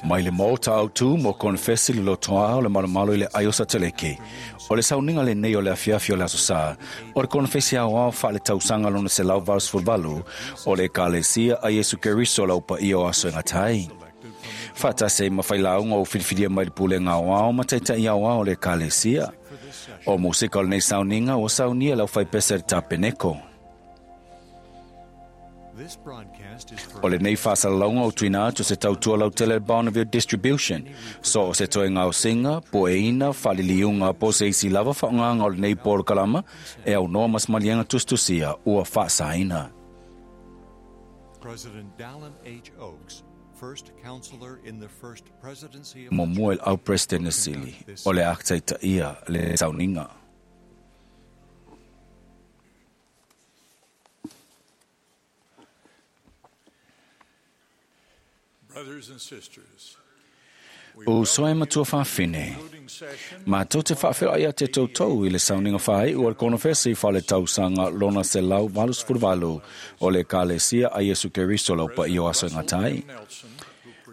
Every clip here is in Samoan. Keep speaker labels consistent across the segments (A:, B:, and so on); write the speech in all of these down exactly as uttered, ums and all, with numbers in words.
A: Mai le maota autu mo konfesi le lotoa o le malomalo i le ai o sateleke. O le sauniga lenei o le afiafi o le aso sa, o le konfesi aoao faaletausaga lona selau valusefuluvalu o le Ekalesia a Iesu Keriso lau paia o aso e gata ai. Faatasi ai ma failauga ua filifilia mai le pulega aoao ma taita'i aoao o le Ekalesia. O musika o lenei sauniga ua saunia le aufaipese le Tapeneko. O lenei faasalalauga o tuuina atu se tautua lautele a le Bonneville Distribution. So o se toe gaosiga, pueina, faaliliuga po o se isi lava faaaogaga o lenei polokalama e aunoa ma se maliega tusitusia ua faasaina.
B: President Dallin H. Oaks, first counselor in the first presidency of the
A: Muamua i le au Peresetene Sili o le a taitaia le sauniga.
C: Brothers and sisters,
A: Uso e matua faafine. Matou te faafeiloai ia te toutou i le sauniga faaiu o le konofesi faaletausaga lona selau valusefuluvalu o le Ekalesia a Iesu Keriso lau paia o aso e gata ai.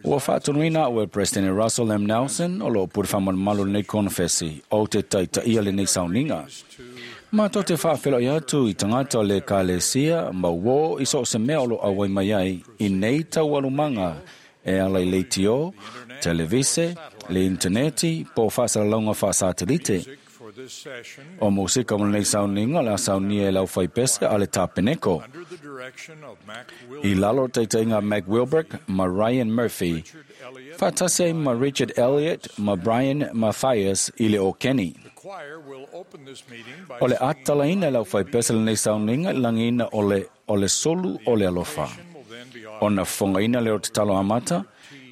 A: Ua faatonuina au e le Peresetene Russell M. Nelson o loo pule faamalumalu lenei konofesi ou te taitaia lenei sauniga. Matou te faafeiloai atu i tagata o le Ekalesia ma uō i so o se mea o loo auai mai ai i nei taualumaga e ala i leitio, televise, le interneti, po o faasalalauga faasatelite.
C: Music for this session
A: O musika mo lenei sauniga o le a saunia e le aufaipese a le Tapeneko.
C: under the direction of Mac
A: I
C: Wilbur,
A: lalo o taitaiga Mac Wilbrick ma Ryan Murphy,
C: Richard Elliott.
A: faatasi ai ma Richard Elliott ma Brian Mathias i le o Kenny.
C: The choir will open this meeting by
A: O le
C: singing
A: atalaina e le aufaipese lenei sauniga i lagiina o le, o le solu o le alofa.
C: will then be
A: Ona fofogaina lea o tatalo amata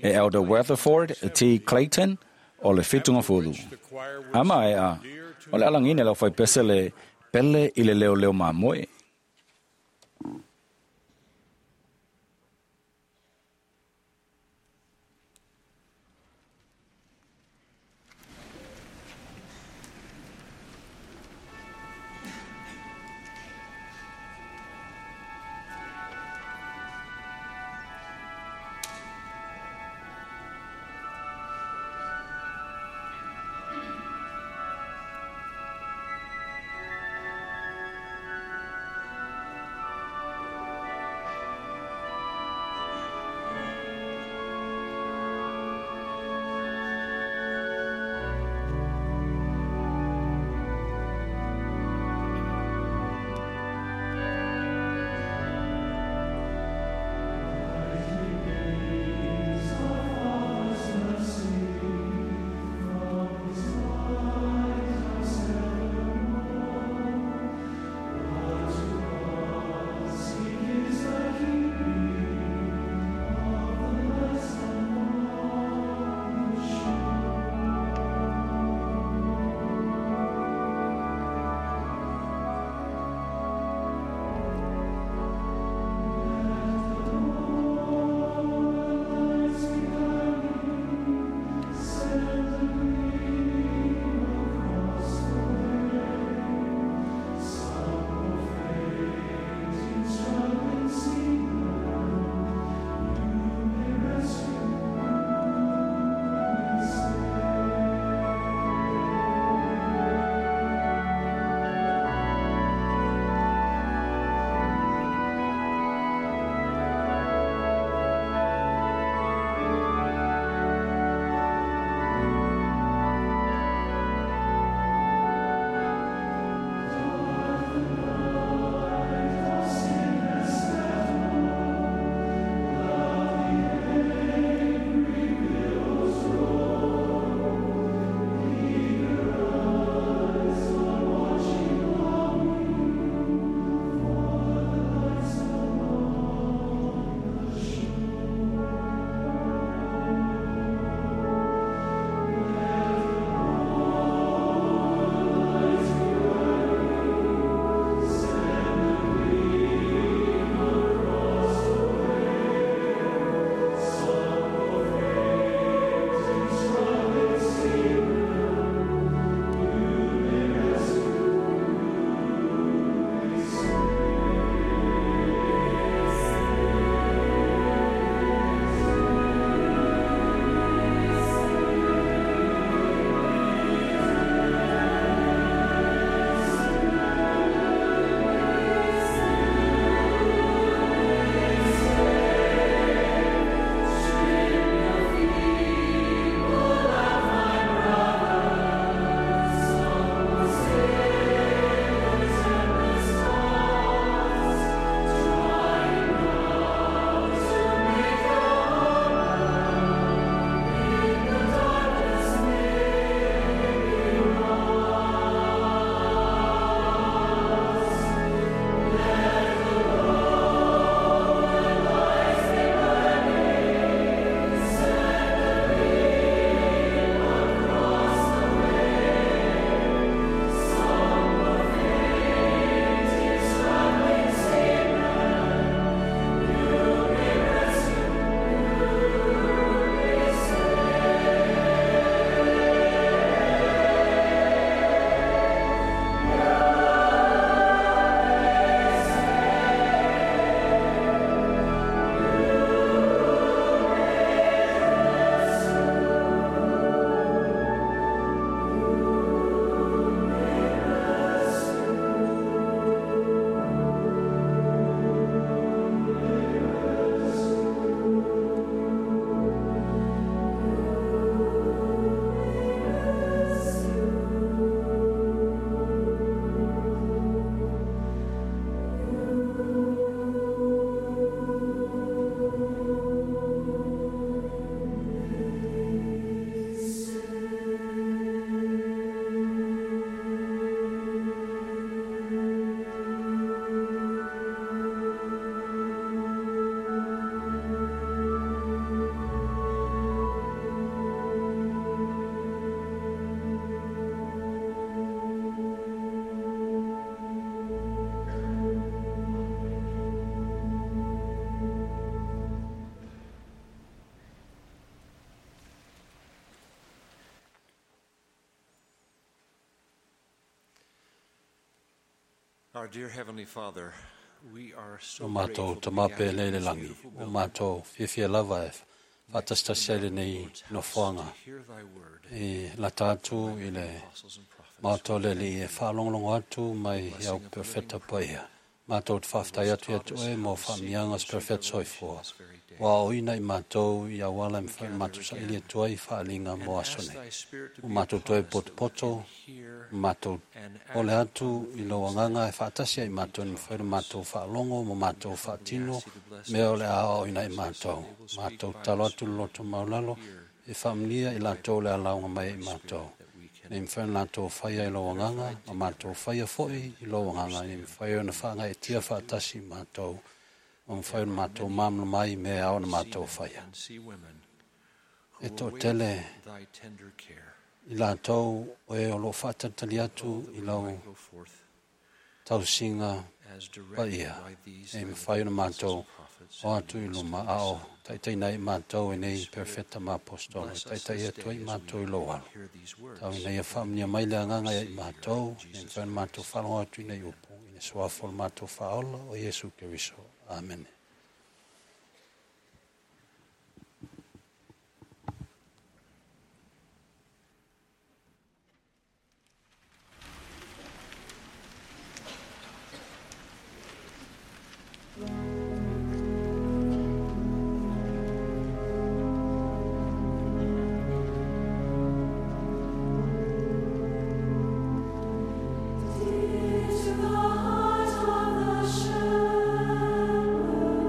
A: e Elder Weatherford T. Clayton o le Fitugafulu.
C: the choir will
A: Ama e a, o le alagina e le aufaipese le pele i le leo leo mamoe.
C: sing
B: Our dear Heavenly Father, we are so
D: O mātou
B: grateful to be
D: tamape
B: gathered
D: le
B: in
D: le
B: this
D: langi.
B: beautiful
D: O
B: building
D: mātou fiafia lava e faatasitasi ai lenei nofoaga
B: to hear thy word,
D: i lata atu i le
B: apostles and prophets.
D: maoto le alii e faalogologo atu mai au perofeta paia. Mātou te faafetai atu ia te oe mo faamiaga o se perofeta soifua. Ua aoina i mātou i auala e mafai ona matou saili atu ai faaliga mo
B: And
D: aso
B: ask
D: nei.
B: thy Spirit to
D: O
B: be
D: mātou
B: upon
D: toe
B: us that we
D: potopoto,
B: can hear
D: mātou
B: and
D: ole
B: act
D: atu i lou agaga e faatasi ai mātou e mafai ona mātou faalogo ma mātou faatino mea o le a aoaoina i mātou. Mātou talo atu le loto maulalo e faamanuia i latou le alauga mai ai i mātou. Nei mafai ona latou faia i lou agaga ma mātou faia foi i lou agaga. Nei mafai ona faagaetia faatasi i mātou ma mafai ona mātou malamalama ai i mea ao ona mātou faia.
B: and see women
D: E
B: who
D: toʻatele
B: await thy tender care.
D: i latou o e o loo faatalitali atu i lau
B: Might go forth
D: tausiga
B: as directed
D: paia
B: by these
D: e
B: thy
D: mafai ona
B: apostles
D: mātou
B: and prophets
D: o
B: and
D: atu i
B: lead us
D: luma
B: to thy
D: a o
B: Son.
D: taitaina ai mātou e nei perofeta ma apostolo e
B: Bless us
D: taitai
B: this
D: atu ai
B: day as
D: mātou
B: we
D: i lou alo.
B: hear these words.
D: Tau ina ia faamanuia mai le agaga ia i mātou, e mafai ona mātou faalogo atu i nei upu, i le suafa o le mātou faaola o Iesu Keriso. Amene.
E: To the heart of the shepherd.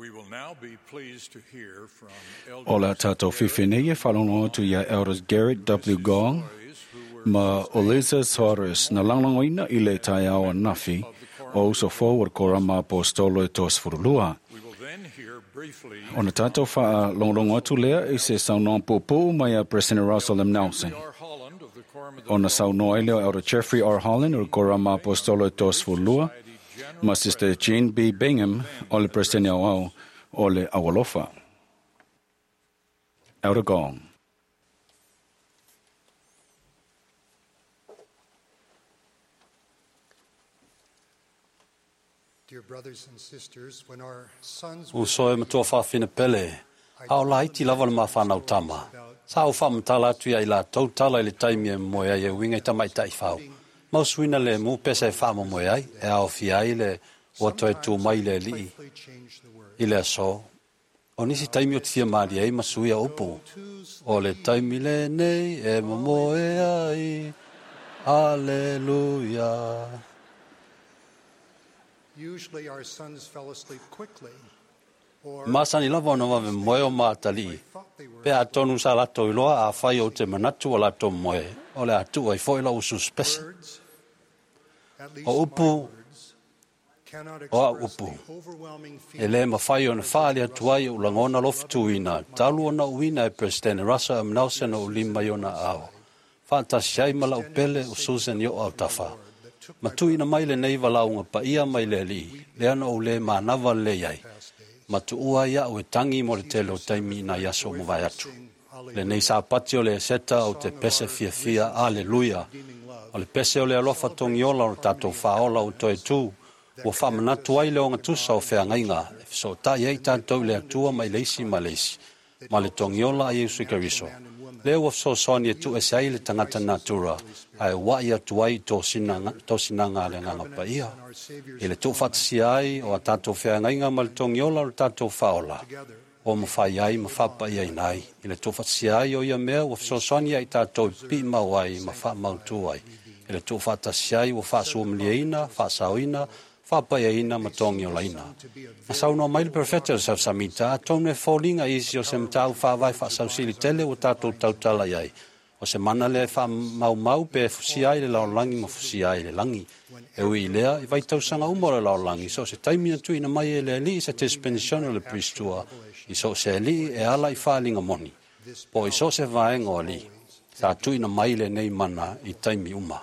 C: We will now be pleased to hear from
A: O la tātou whiwhi e whalongo atu ia Elders Garrett W. Gong ma Olisa Soares na langlangoina i le tai awa nafi o uso forward korama apostolo e tos furulua.
C: We will then hear briefly
A: O na tātou wha longlongo atu lea i se saunoa pōpō mai a President Russell M. Nelson.
C: R. Holland of the Quorum of the
A: O na saunoa ile o Elder Jeffrey R. Holland o korama apostolo e tos furulua ma Sister Jean B. Bingham o le President au au o le Awalofa. Elder Gong.
E: Dear brothers and sisters, when our sons were
D: Uso e matua whawhina pele, a o laiti lava le mawhanau tama. Sa o whamtala atu ia i la tautala i le taimi e moe ai e winga i tamaitai whau. Mausuina le mu pesa e whaamo moe ai, e ao fia ai le watoe tū mai le lii
E: playfully changed the word.
D: i le aso. O nisi taimi o te fia maali ai masuia upu. O le taimi le nei e momoe ai. Aleluia.
E: Usually our sons fell asleep quickly or
D: Masani lava ona wawe moe o mātali.
E: thought they were
D: Pe a tonu sa lato iloa a whai o te manatu o lato moe. O le atu ai foi la usu spese.
E: words, at least
D: O
E: my
D: upu
E: words, cannot
D: o a
E: express
D: upu.
E: the overwhelming
D: E le mawhai o na whaali atu ai o langona lofituina, talu ona uina e President Russell M. Nelson o lima i ona ao. Whaatasi ai mala upele o Susan i o au tafa. Matuina mai le nei valaunga pa ia mai le li, lea na o le mānawa le iai. Matu ua ia o e tangi mo le tele o taimi na iaso mo vai atu. Le nei sāpati o le seta o te pese fia fia, aleluia. O le pese o le alofa tongiola o le tātou whaola o toe tū, ua whamanatu ai le onga tusa o wheangainga, e so tai ai tātou le atua mai leisi ma leisi, ma le tongiola a Yesu Keriso. Le ua fesoasoani e tu ese ai le tangata natura, ae wai atu ai tō sinanga, tō sinanga le nganga paia. I le tūwhatasia ai o a tātou wheangainga ma le tongiola o le tātou whaola. O mawhai ai, ma whapai ai nai. I le tūwhatasia ai o ia mea, ua fesoasoani ai tātou i pi mau ai, ma whamautu ai. I le tūwhatasia ai, ua whaasuamliaina, whaasaoina, whapaiaina ma tongiolaina. Na saunoa mai le perfecta o sau samita, a tonu e fōlinga isi o se matau whāwai whaasausili tele o tātou tautala iai. O se mana le wha mau mau pe fusia ai le laolangi ma fusia ai le langi. E ui i lea, i vai tausanga uma o le laolangi, so se taimi na tuina mai e le alii se dispensation o le pristua, i so se alii e ala i whaalinga moni. Po i so se vaenga o alii, sa tuina mai le nei mana i taimi uma.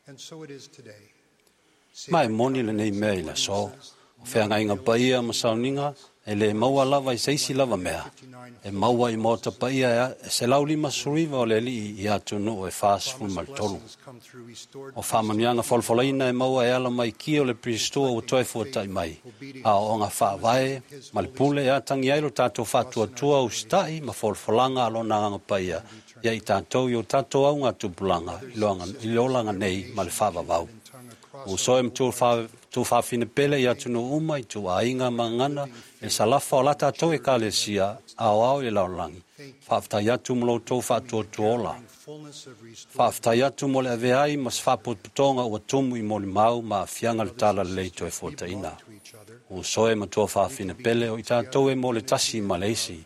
E: And so it is today.
D: Mai moni le nei mea i le so. O wheangainga paia ma sauninga, e le maua lava i seisi lava mea. E maua i mōta paia e se laulima suriva o le alii i atu e whaasifulu maritolu.
E: Blessings come through restored
D: O whamanianga folfolaina e maua e ala mai ki o le pristua o toe fuatai mai. A o ngā whaavae, ma le pule e atangi ai lo tātou whātuatua o stai ma folfolanga alo nā ngā paia. Ia i tātou i o tātou au ngā tupulanga i loanga- i le olanga nei ma le whaavavau. O soe ma tū whawhine pele i atu no uma i tū ainga mangana e salafa o lata tau e kalesia ao ao i laolangi. Whaaftai atu mo lo tō whaatuatuola.
E: fullness of restored
D: Whaaftai atu mo le aveai ma se whapototonga ua tumu i moli mau ma whianga le tala lei toe fuataina.
E: to each other.
D: O soe ma tua whawhine pele o i tātou e mo le tasi ma leisi.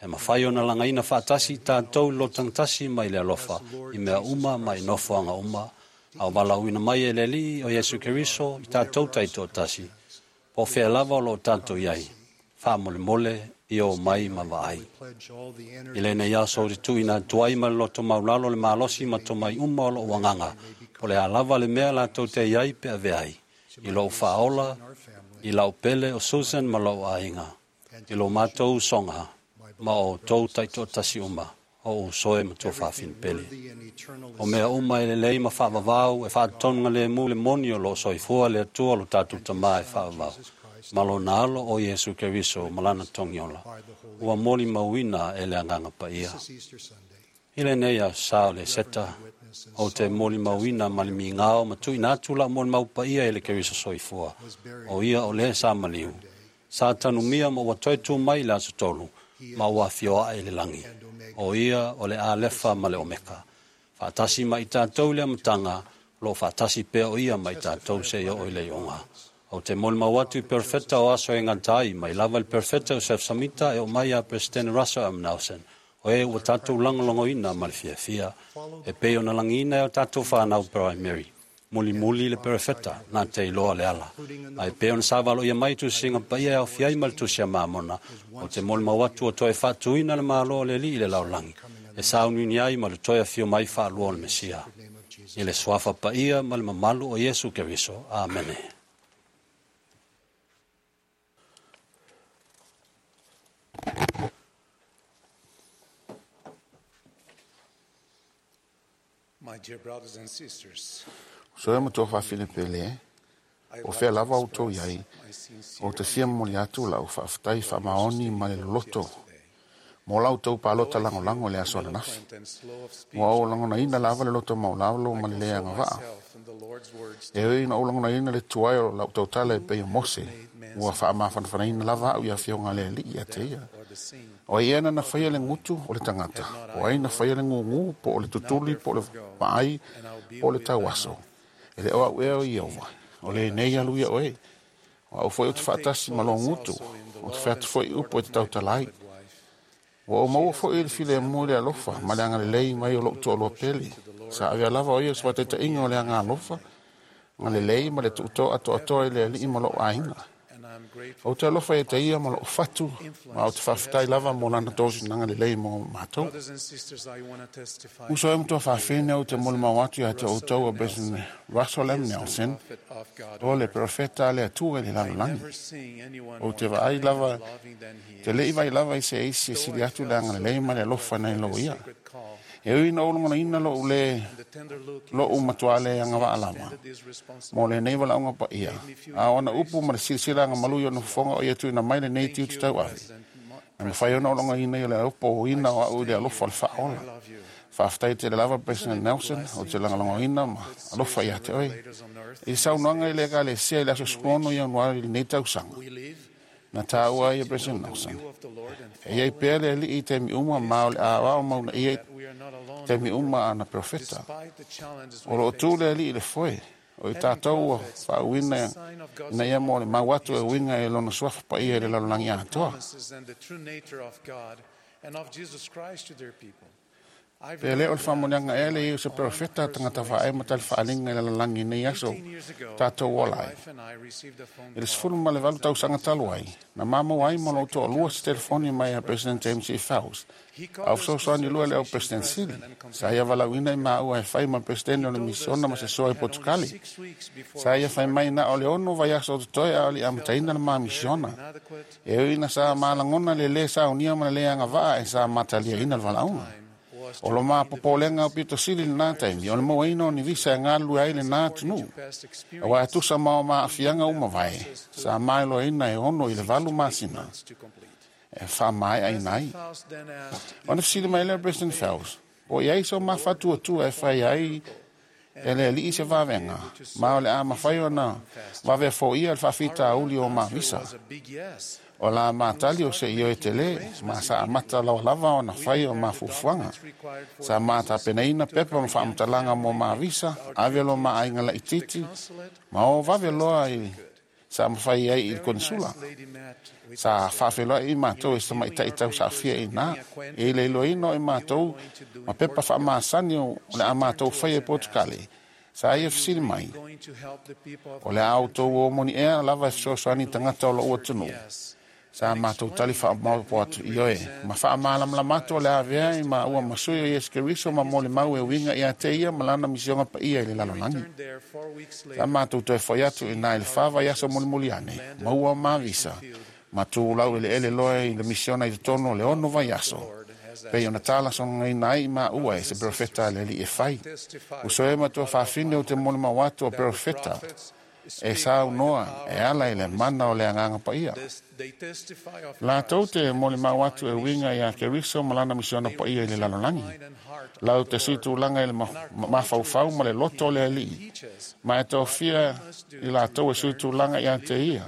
D: E mawhai ona langaina whaatasi i tātou lotang tasi mai le alofa i mea uma mai nofoanga uma. Au walauina mai e le alii o Yesu Keriso i tātou taito tasi. Po whea lava o lo tātou iai. Wha mole mole i o mai ma vaai.
E: Pledge all the energy
D: I le nei aso o te tuina tuai ma le loto maulalo le malosi ma tomai uma o lo wanganga. O le alava le mea la tau te iai pe ave ai. I lo whaola, i lau pele o Susan ma lau ainga. I lo mātou songa, ma o tau taito tasi uma, o usoe ma tō whawhine pele.
E: worthy and eternal
D: O mea uma e le lei ma whaavavau, e whaatonuga le mu le moni o lo soifua le atua lo tātou tamā e whaavavau. Ma lo nalo o Yesu Keriso, malana tongiola. Ua moli mauina e le anganga paia.
E: This is Easter Sunday.
D: I le nei a sa o le seta, o te moli mauina ma le mingao, ma tuina atu la moli mau paia e le Keriso soifua. O ia o le sa maliu. Sa tanumia ma ua toe tū mai le aso tolu, ma ua fioa e le langi. O ia o le alefa ma le omeka. Whaatasi mai tātou le amatanga, lo whaatasi pea o ia mai tātou se i o i le ionga. O te molimau atu i perofeta o aso e gata ai, mai lava i le perofeta Iosefo Samita e oo mai ia Peresetene Russell M. Nelson, o e ua tatou lagolagoina ma le fiafia, e pei ona lagiina e o tatou fanau Primary. Mulimuli le perofeta, na te iloa le ala. Ae pei ona sa valoia mai tusiga paia e aofia ai ma le tusi a Mamona, o te molimau atu ua toe faatuina le Malo o le Alii i le lalolagi, e sauniuni ai ma le toe afio mai faalua o le Mesia. I le suafa paia ma le mamalu o Iesu Keriso. Amene.
E: My dear brothers and sisters,
F: Uso e matua faafine pele, o fea lava o tau iai, o te fia momoli atu lau faafetai faamaoni ma le loloto, mo lau tau palota lagolago i le aso ananafi. Ua ou lagonaina lava le loto maulalo ma le le agavaa. E ui na ou lagonaina le tuai o lau tautala e pei o Mose, ua faamafanafanaina lava au i afioga a le Alii ia te ia. O ai ea na faia le gutu o le tagata, o ai na faia le gugu, po o le tutuli, po o le vaai, po o le tauaso. E le o au ea o Ieova, o lenei alu ia oe. O au foi o te faatasi ma lou gutu, o te fai atu foi upu e te tautala ai. Ua ou maua foi i le filemu i le alofa ma le agalelei mai o lou toalua pele. Sa avea lava o ia o se faataitaiga o le aga alofa, agalelei ma le tuutoa atoatoa i le alii ma lou aiga. Ou te alofa ia te ia ma lou fatu, ma ou te faafetai lava mo lana tosinaga lelei mo matou.
E: Brothers and sisters, I want to testify
F: Uso e matua faafine ou te molimau atu ia te outou o President Russell M. Nelson,
E: prophet of God.
F: o le perofeta a le Atua i le lalolagi.
E: Never seeing anyone
F: Ou
E: more
F: te vaai
E: kind
F: lava,
E: and loving than he
F: te lei vai lava i se isi e sili atu le agalelei ma le alofa nai lo ia.
E: sacred call
F: E ui na ou lagonaina lou le
E: and the tender look in
F: lou
E: his
F: matua
E: eyes
F: le
E: as he
F: agavaa lava.
E: extended his responsibility
F: Mo lenei valaauga paia. A ona upu ma le silasila agamalu i ona fofoga o ia tuuina mai lenei tiute tauave.
E: President Mo-
F: Na mafai ona ou lagonaina i o le opoina o au i le alofa o le faaola.
E: I love you.
F: Faafetai tele lava President Nelson o te lagolagoina ma alofa ia te oe.
E: Leaders on earth,
F: I le saunoaga i le ekalesia i le aso sefuluono Ianuari i lenei tausaga,
E: we live
F: na taua ai e President Nelson.
E: will of the Lord and
F: E iai pea le alii i taimi uma ma o le aoao mauna ia i
E: we are not alone
F: taimi uma ana perofeta.
E: despite the challenges
F: O
E: we
F: loo
E: face.
F: tu le alii i le foe, o i tatou ua faauuina ina ia mo le mau atu e uiga e lona suafa paia i le lalolagi atoa.
E: Promises and the true nature of God and of Jesus Christ to their people. I
F: Pe le o le faamanuiaga ea le ia o se perofeta tagata faae ma tali faaliga i le lalolagi i nei aso
E: Eighteen years ago,
F: tatou ola
E: my
F: ai.
E: wife and I received a phone
F: I le
E: call
F: sefulu ma le valu tausaga talu ai, na mamau ai ma lou toalua se telefoni mai a President James E. Faust.
E: He called
F: Au
E: us to
F: fesoasoani lua
E: serve
F: le au
E: as mission
F: President Sili.
E: president and
F: Sa ia valauina i maua e fai ma President o le
E: told us
F: misiona ma se
E: that
F: soa i
E: we had only
F: Portugali.
E: six weeks before
F: Sa
E: we
F: ia fai mai na o le ono vaiaso o totoe a o le amataina le ma misiona.
E: inadequate
F: E ui na sa malagona le lē saunia ma le lē agavaa e sa mataliaina le valaauga.
E: time was
F: O lo mapopolega o pito sili lenā taimi, o le mauaina o ni visa e galulue ai lenā atunuu.
E: past experience
F: Auā e tusa ma o maafiaga uma vae, sa maeloaina e ono i le valu masina
E: to complete.
F: e faamaeaina ai.
E: Faust then asked
F: Ona fesili mai lea President Faust, po i ai so mafatuatua e fai ai e le alii se vavega, ma o le a mafai ona vave foia le faafitauli o mavisa.
E: was a big yes.
F: O la matali o se ioe tele, ma sa amata lawa lava ona fai o mafufuaga. Sa matapenaina pepa ma faamatalaga mo mavisa, ave lo maaiga laititi, ma o vave loa i sa mafai ai i le konsula.
E: Lady met with
F: Sa faafeloai i matou e se tamaitai tausaafia i nā. E le iloaina o i matou ma pepa faamasani o le a matou faia i Portugali. Sa ia fesili mai,
E: going to help the people of
F: o le a outou o moni ea lava e fesoasoani i tagata o lou atunuu.
E: yes.
F: Sa matou tali faamaopo atu i oe, ma faamalamalama atu o le avea i maua ma sui o Iesu Keriso ma mo le mau e uiga ia te ia ma lana misioga paia i le lalolagi.
E: Returned there four weeks
F: Sa
E: later
F: matou toe foi atu i nā i le fa vaiaso mulimuli ane, maua o mavisa, ma tulau eleele loa i le misiona i totonu o le ono vaiaso. Pei ona talasagaina ai i maua e se perofeta a le alii e fai. Uso e matua faafine o te molimau atu o perofeta, e saunoa e ala i le mana o le agaga paia.
E: This- they testify of
F: Latou te molimau atu e uiga ia Keriso ma lana misiona paia i le lalolagi.
E: mind and heart
F: Lau te sui tulaga i le ma- ma- mafaufau ma le loto o le alii. Ma e tofia i latou e sui tulaga ia te ia.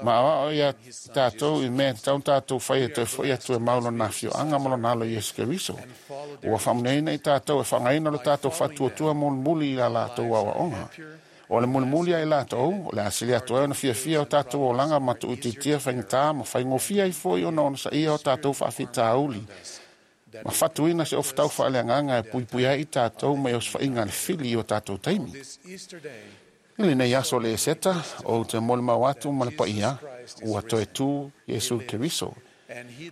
F: Ma aoao ia tatou i mea e tatau ona tatou fai e toe foi atu e mau lona afioaga ma lona alo Iesu Keriso. Ua faamuneina i tatou e faaaogaina lo tatou faatuatua mulimuli i la latou aoaoga. O le mulimuli ai latou, o le asili atu ai ona fiafia o tatou olaga ma tuuitiitia faigata ma faigofie ai foi ona onosaia o tatou faafitauli. Ma fatuina se ofutau faaleagaga e puipui ai i tatou mai osofaiga a le fili i o tatou taimi. I lenei aso o le Eseta, ou te molimau atu ma le paia, ua toe tu Iesu Keriso.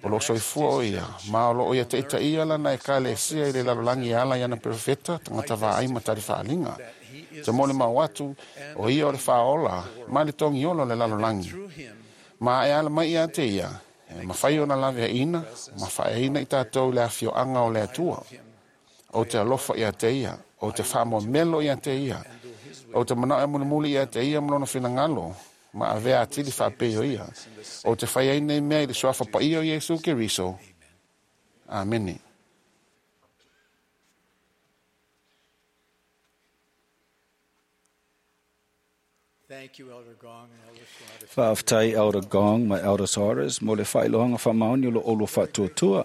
F: O loo soifua o ia, ma o loo ia taitaia lana ekalesia i le lalolagi e ala i ana perofeta, tagata vaai ma talifaaaliga. Te molimau atu, o ia o le faaola, ma le togiola o le lalolagi. Ma e ala mai ia te ia, e mafai ona laveaina, ma faaeaina i tatou i le afioaga o le Atua. Ou te alofa ia te ia, ou te faamoemelo ia te ia, ou te manao e mulimuli ia te ia ma lona finagalo, ma avea atili faapei o ia. Ou te fai ai nei mea i le suafa paia o Iesu Keriso. Amene.
C: Thank you, Elder Gong and Elder Soares.
A: Faafetai Elder Gong ma Elder Soares mo le faailoaga faamaoni o lo oulua faatuatua.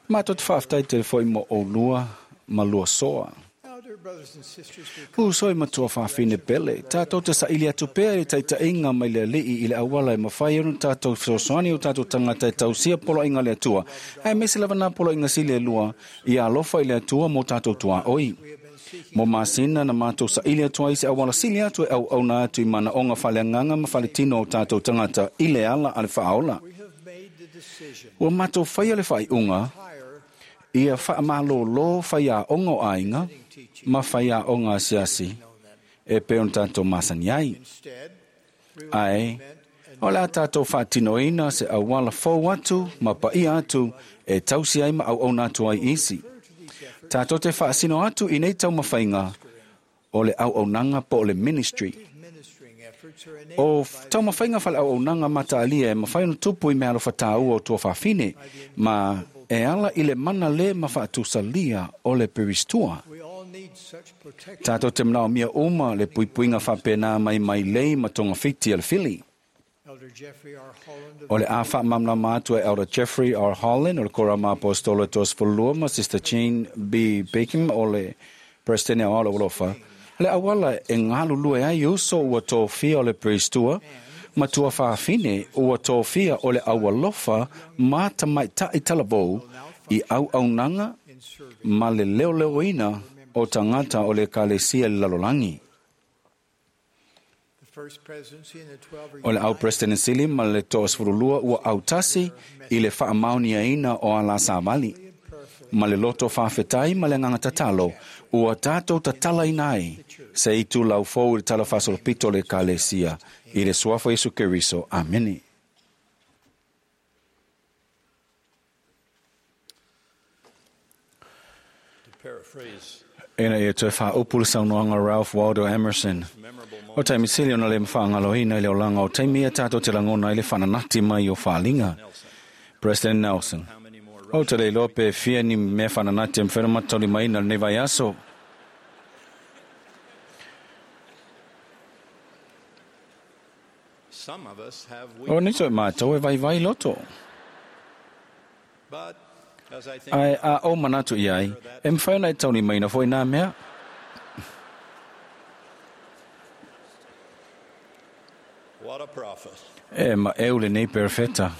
A: Matou te faafetai tele foi mo oulua ma lua soa.
C: Now, dear brothers and sisters, we come
A: Uso i matua faafine pele, tātou te saili atu pea i le taitaiga mai le alii i le auala e mafai ona tātou fesoasoani o tātou tagata e tausia poloaiga le Atua. Aemaise lava nā poloaiga sili e lua, ia alofa i le Atua mo tātou tuaoi. Mo masina na mātou saili atu ai se auala sili atu e auauna atu i manaoga faaleagaga ma faletino o tātou tagata i le ala a le faaola.
C: we have made the decision
A: Ua mātou faia le faaiuga,
C: hire
A: ia faamalōlō faiaoga o aiga ma faiaoga asiasi e pei ona tatou masani ai.
C: instead we will
A: Ae,
C: implement
A: o le a tātou faatinoina se auala fou atu ma paia atu e tausi ai ma auauna atu ai isi. Tātou te faasino atu i nei taumafaiga o le auaunaga po o le ministry.
C: ministering efforts are
A: O
C: enabled by
A: taumafaiga faaleauaunaga mataalia e mafai ona tupu i mea alofa tāua o tua faafine, ma e ala i le mana le ma faatusalia o le peristua.
C: we all need such protection.
A: Tātou te manaomia uma le puipuiga faapena mai mai lei ma togafiti a le fili.
C: Elder Jeffrey R. Holland of
A: O le a faamalamalama atu e Elder Jeffrey R. Holland o le Korama Apostolo e toasefululua ma Sister Jean B. Beckham o le Presidente o Aola Ulofa. Le auala e galulue ai uso ua tofia o le peristua, ma tua faafine ua tofia o le aualofa ma tamaitai talavou i auaunaga
C: in serving
A: ma le leoleoina o tagata o le ekalesia i le lalolagi.
C: the First Presidency and the Twelve are
A: O le au
C: united
A: President Sili ma le toasefululua ua autasi i le faamaoniaina o ala savali.
C: and prayerfully
A: Ma le loto faafetai ma le agaga tatalo, ua tatou tatalaina ai se itu laufou i le tala faasolopito o le ekalesia i le suafa o Iesu Keriso. Amene.
C: To paraphrase
A: Ina ia toe faaupu le saunoaga Ralph Waldo Emerson.
C: memorable
A: O taimi sili ona le mafaagaloina i le olaga o taimi ia tātou te lagona ai le faananati mai o faaliga. President Nelson.
C: how many more
A: O te le iloa pe fia ni mea faananati e mafai ona mataulimaina lenei vaiaso.
C: Some of us have
A: O
C: weak
A: nisi o mātou e vaivai loto.
C: but as I think
A: Ae a o manatu i ai, e mafai ona e taulimaina foi nā mea.
C: what a prophet
A: E ma eu lenei perfeta.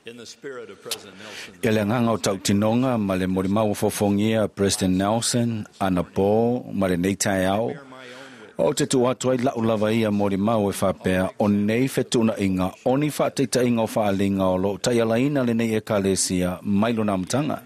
C: in the spirit of President Nelson
A: I le agaga o tautinoga ma le molimau o fofogia President Nelson, anapo ma lenei taeao.
C: bear my own witness
A: O te tuu atu ai lau lava ia molimau e faapea o nei fetuunaiga o ni faataitaiga o faaliga o loo taialaina lenei ekalesia mai lona amataga.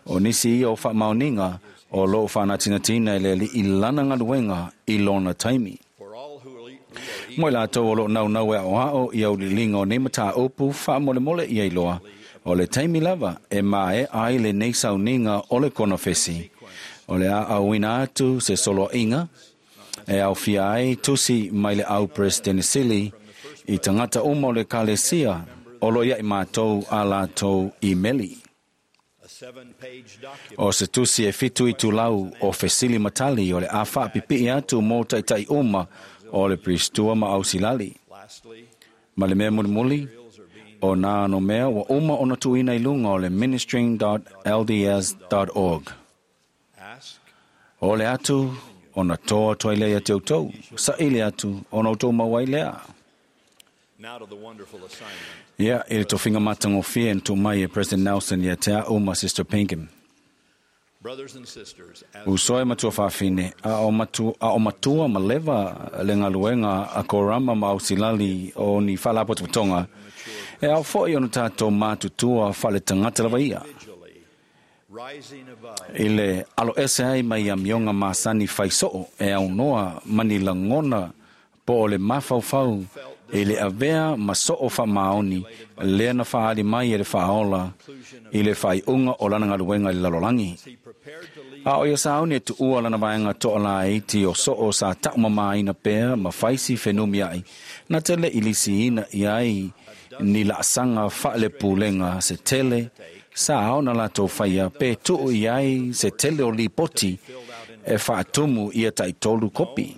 A: O nisi ia o faamaoniga o loo faanatinatina i le alii lana galuega i lona taimi.
C: for all who are, who are
A: Mo i latou o loo naunau e aoao i auliliga o nei mataupu faamolemole ia iloa. O le taimi lava e mae ai lenei sauniga o le konofesi. O le a auina atu se soloaiga e aufia ai tusi mai le au President Sili i tagata uma o le ekalesia o lo ia i mātou a latou imeli.
C: a seven-page document
A: O se tusi e fitu i tulau o fesili matali o le a faapipii atu mo taitai uma o le Pristua ma ausilali.
C: lastly
A: Ma le mea mulimuli, o nā no mea ua uma ona tuuina i luga o le ministering dot l d s dot org.
C: ask
A: O le atu, Ona toa atu ai lea ia te outou. Saili atu, ona outou maua ai lea. Ia, i le tofiga matagofie na tuu mai e President Nelson ia te a'u ma Sister Pinkham. Uso e matua faafine, a o matua, a o matua ma leva le galuega a korama ma ausilali o ni faalapotopotoga, e ao fo'i ona tatou matutua faaletagata lava ia. I le alo ese ai mai amioga masani faisoo e aunoa ma ni lagona po o le mafaufau i le avea ma soo faamaoni lea na faaali mai e le faaola i le faaiuga o lana galuega i le lalolagi. A o ia sauni e tuua lana vaega toalaiti o soo sa taumamāina pea ma faisi fenumiai, na tele i lisiina i ai ni laasaga faalepulega se tele sa ao na latou faia pe tuu i ai se tele o lipoti e faatumu ia taitolu kopi.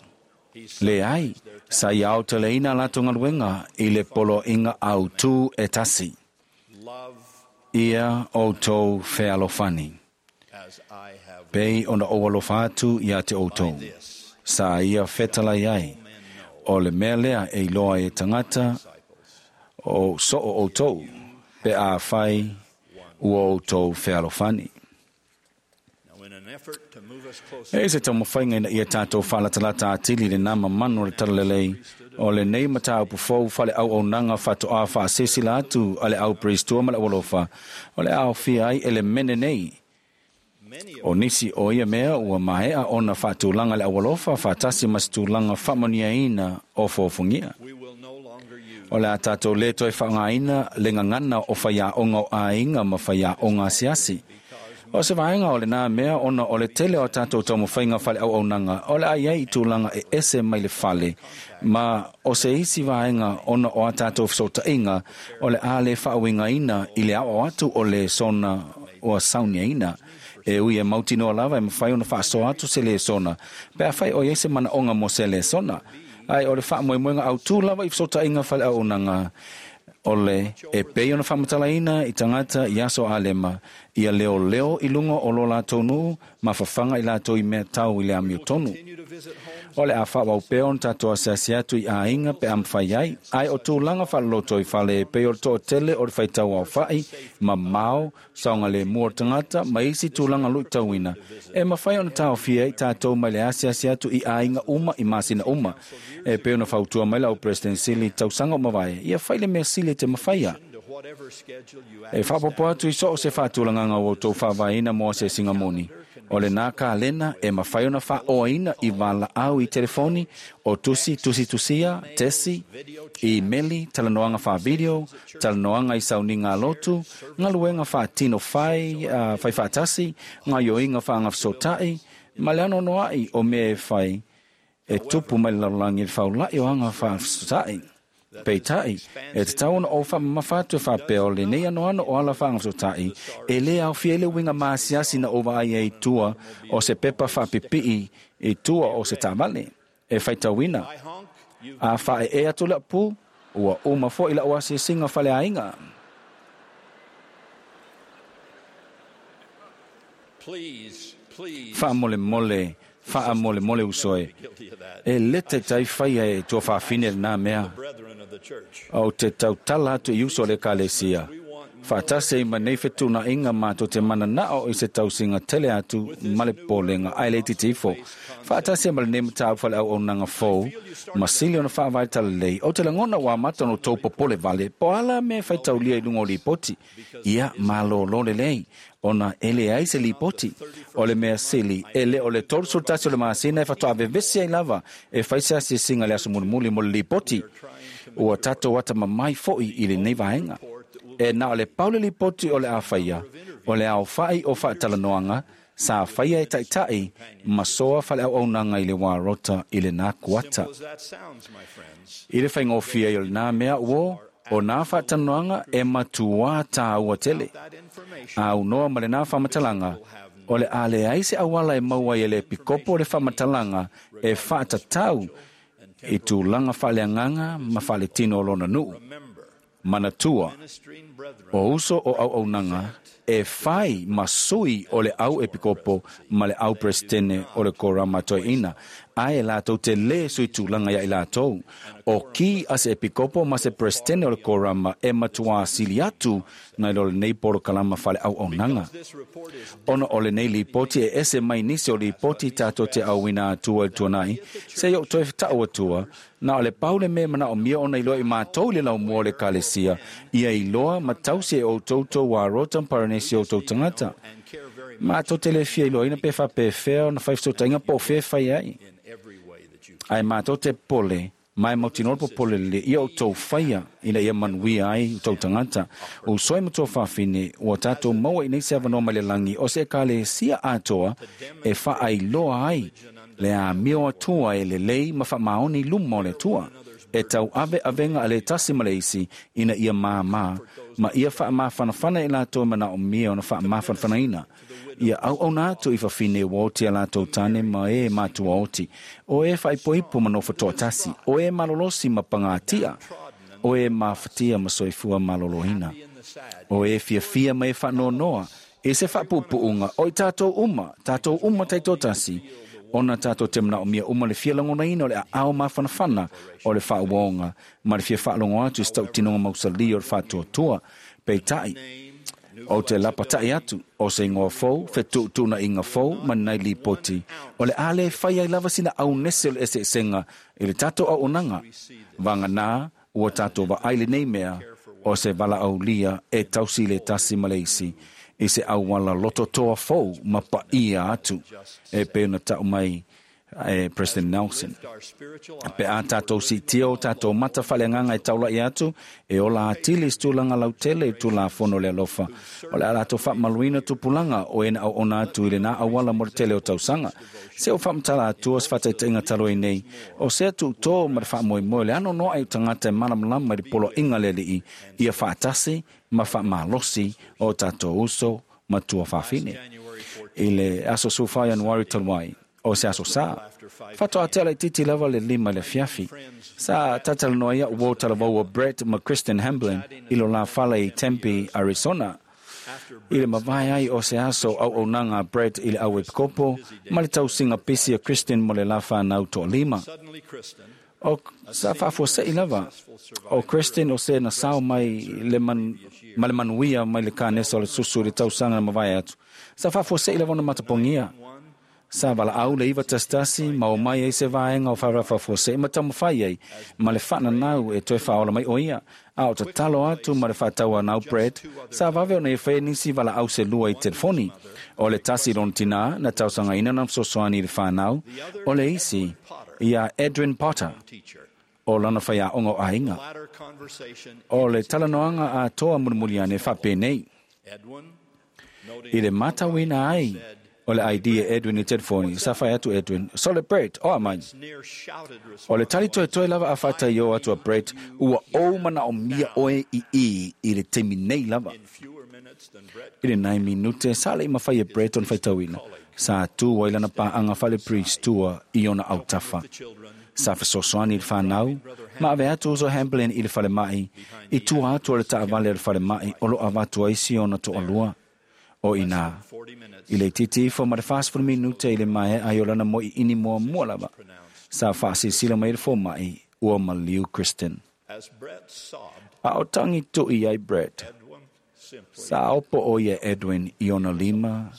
A: Le ai, sa ia aoteleina latou galuega i le poloaiga autū e tasi. Ia outou fealofani. Pei ona ou alofa atu ia te outou. Sa ia fetalai ai. O le mea lea e iloa e tagata o soo outou, pe afai ua outou fealofani. E se taumafaiga ina ia tatou faalatalata atili le nama manu o le talalelei o lenei mataupu fou faaleauaunaga faatoā faasesila atu a le au peristua ma le aualofa o le aofia ai elemene nei. O nisi o ia mea ua maea ona faatulaga le aualofa faatasi ma se tulaga faamanuiaina o fofogia. O le a tatou lē toe faaaogaina le gagana o faiaoga o aiga ma faiaoga asiasi. O se vaega o lenā mea ona o le tele o tatou taumafaiga faaleauaunaga o le a i ai i tulaga e ese mai le fale, ma o se isi vaega ona o a tatou fesootaiga o le a le faauigaina i le aoao atu o lesona ua sauniaina. E ui e mautinoa lava e mafai ona faasoa atu se lesona, pe afai o i ai se manaoga mo se lesona. Ai o le faamoemoega autū lava i fesootaiga faaleauaunaga o le e pei ona faamatalaina i tagata i aso alema, ia leoleo i luga o lo latou nuu ma fafaga i latou i mea tau i le amiotonu. O le a faaauau pea ona tatou asiasi atu i aiga pe a mafai ai, ae o tulaga faaloloto i fale e pei o le toatele o le faitau aofa'i, mamao, saogalemu o le tagata ma isi tulaga luitauina, e mafai ona taofia ai tatou mai le asiasi atu i aiga uma i masina uma. E pei ona fautua mai lau President Sili tausaga o mavae, ia fai le mea sili e te mafaia. E faapopo atu i soo se faatulagaga ua outou faavaeina mo asiasiga moni. O lenā kalena e mafai ona faaoaina i valaau i telefoni, o tusi tusitusia, tesi, imeli, talanoaga faavideo, talanoaga i sauniga alotu, galuega faatino fai, uh, fai faatasi, gaioiga faagafesota'i, ma le anoanoa'i o mea e fai e tupu mai le lalolagi i le faula'i o aga faafesota'i. Peitai, e tatau ona ou faamamafa atu e faapea o lenei anoano o ala faagafesota'i, e lē aofia ai le uiga masiasi na ou vaai ai i tua o se pepa faapipii i tua o se taavale. E faitauina, a faaeē atu le apu, ua uma fo'i la'u asiasiga faleaiga. Faamolemole, faamolemole uso e. E lē taitai faia e tuafaafine lenā mea. Ou te tautala atu i uso o le ekalesia. Faatasi ai ma nei fetuunaiga matou te mananao i se tausiga tele atu ma le popolega ae le itiiti ifo. Faatasi ai ma lenei mataupu faaleauaunaga fou, ma sili ona faavae talalelei, ou te lagona ua amata ona outou popole vale po o a la mea e faitaulia i luga o lipoti. Ia malōlō lelei, ona e leai se lipoti. O le mea sili, e le o le tolu tasi o le masina e faatoa vevesi ai lava e fai se asiasiga i le aso mulimuli mo le lipoti. Ua tatou atamamai fo'i i lenei vaega. E na o le pau le lipoti o le a faia, o le aofa'i o faatalanoaga sa faia e taita'i ma soa faaleauaunaga i le wā rota i lenā kuata. I le faigofie ai o lenā mea uō, o nā faatalanoaga e matuā tāua tele. Aunoa ma lenā faamatalaga, o le a leai se auala e maua ai e le epikopo o le faamatalaga e faatatau i tulaga faaleagaga ma faaletino o lona nuu. Manatua, o uso o auaunaga E fai ma sui o le au epikopo ma le au presidene o le korama toeina. Ae latou te le sui tulaga ia i latou. O ki a se epikopo ma se presidene o le korama e matua sili atu nai lo lenei polokalama fale au aunaga. Ona o lenei lipoti e ese mai nisi o lipoti tatou te auina atua i le tuanai, se i ou toe ta'u atua, na o le pau le mea manaomia ona iloa i matou le laumua o le ekalesia, ia iloa ma tausi e outou tou arota ma paranesi o outou tagata. Matou te le fia iloaina pe faapefea ona fai fesootaiga po o fea e fai ai. Ae matou te pole, ma e mautinoa le popole lelei ia outou faia ina ia manuia ai outou tagata. Uso e matua faafine, ua tatou maua i nei se avanoa mai le lagi o se ekalesia atoa e faailoa ai le amio atua e lelei ma faamaoni i luma o le Atua. E tau ave avega a le tasi ma le isi ina ia māmā, ma ia faamafanafana i latou e manaomia ona faamafanafanaina. Ia auauna atu i fafine ua oti a latou tane ma e matua oti, o e faaipoipo ma nofo toatasi, o e malolosi ma pagatia, o e mafatia ma soifua maloloina, o e fiafia ma e faanoanoa, e se faapuupuuga o i tatou uma, tatou uma taitoatasi, ona tatou te manaomia uma le fia lagonaina o le aao mafanafana o le faauaoga ma le fia faalogo atu i se tautinoga mausali o le faatuatua. Peitai, o te lapata'i atu o se igoa fou, fetuutuunaiga fou ma lenei lipoti, o le a le fai ai lava sina aunese o le eseesega i le tatou auaunaga. Vaganā ua tatou vaai lenei mea o se valaaulia e tausi le tasi ma le isi i se auala lototoa fou ma paia atu e pei ona ta'u mai e President Nelson. Pe a tatou siitia o tatou mata faaleagaga e taula'i atu, e ola atili i se tulaga lautele i Tulafono o le alofa. O le a latou faamaluina tupulaga o e na auauna atu i lenā auala mo le tele o tausaga. Se o faamatala atua se faataitaiga talu ai nei, o sea tuutō ma le faamoemoe le anoanoa'i o tagata e malamalama i le poloaiga a le Alii, ia faatasi ma faamalosi o tatou uso ma tuafafine. I le aso sefulufa Ianuari talu ai, o se aso sa, faatoa tea laitiiti lava le lima i le afiafi. Sa talatalanoa ai a'u uō talavou o Brett ma Kristen Hamblin i lo la fale i Tempe, Arizona. I le mavae ai o se aso auaunaga a Brett i le au epikopo ma le tausiga pisi a Kristen mo le la fanau toalima. O sa faafuase'i lava o Kristen o se na sao mai le man, ma le manuia mai le kanesa o le susu i le tausaga na mavae atu. Sa faafuase'i lava ona matapogia. Sa valaau le iva tasi tasi ma omai ai se vaega o faalafafuase'i ma taumafai ai ma le faananau e toe faaola mai o ia. A o tatalo atu ma le faatauanau Brett, sa vave ona ia faia nisi valaau se lua i telefoni. O le tasi lona tinā na tausagaina na fesoasoani i le fanau, o le isi iā Edwin Potter, o lana faiaoga o aiga. O le talanoaga atoa mulimuli ane faapenei. I le matauina ai o le I D e Edwin i telefoni, sa fai atu Edwin, Sole Brett, o a mai. O le tali toetoe lava a faataiō atu a Brett, ua ou manaomia oe i i i le taimi nei lava. I le nai minute, sa le'i mafai e Brett ona faitauina. Sa tū ai lana paaga fale priest tua i ona autafa. Sa fesoasoani i le fanau, ma ave atu uso Hamblin i le falema'i, i tua atu o le taavale o le falema'i o lo avatu ai si ona toalua. O inā, i le itiiti ifo ma le fasefulu minute i le maea ai o lana mo'i'ini muamua lava, sa faasilasila mai le foma'i ua maliu Kristen. A o tagi tu'i ai Brett, sa opo o ia Edwin i ona lima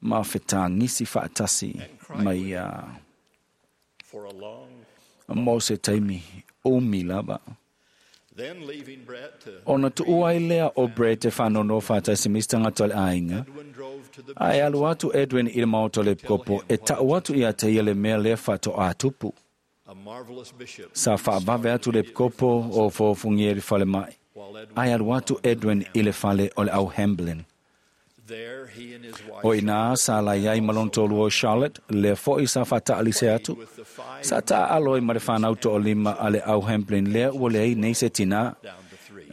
A: ma fetagisi faatasi ma ia mo se taimi umi lava. Ona tu'u ai lea o Brett e faanono faatasi ma isi tagata o le aiga, ae alu atu Edwin i le maota o le epikopo e ta'u atu ia te ia le mea lea faatoā tupu. Sa faavave atu le epikopo o foofogia i le falema'i, ae alu atu Edwin i le fale o le au Hamblin. O inā sa lai ai ma lona toalua o Charlotte, lea fo'i sa faataalise atu. Sa taaalo ai ma le fanau toalima a le au Hamblin lea ua leai nei se tinā.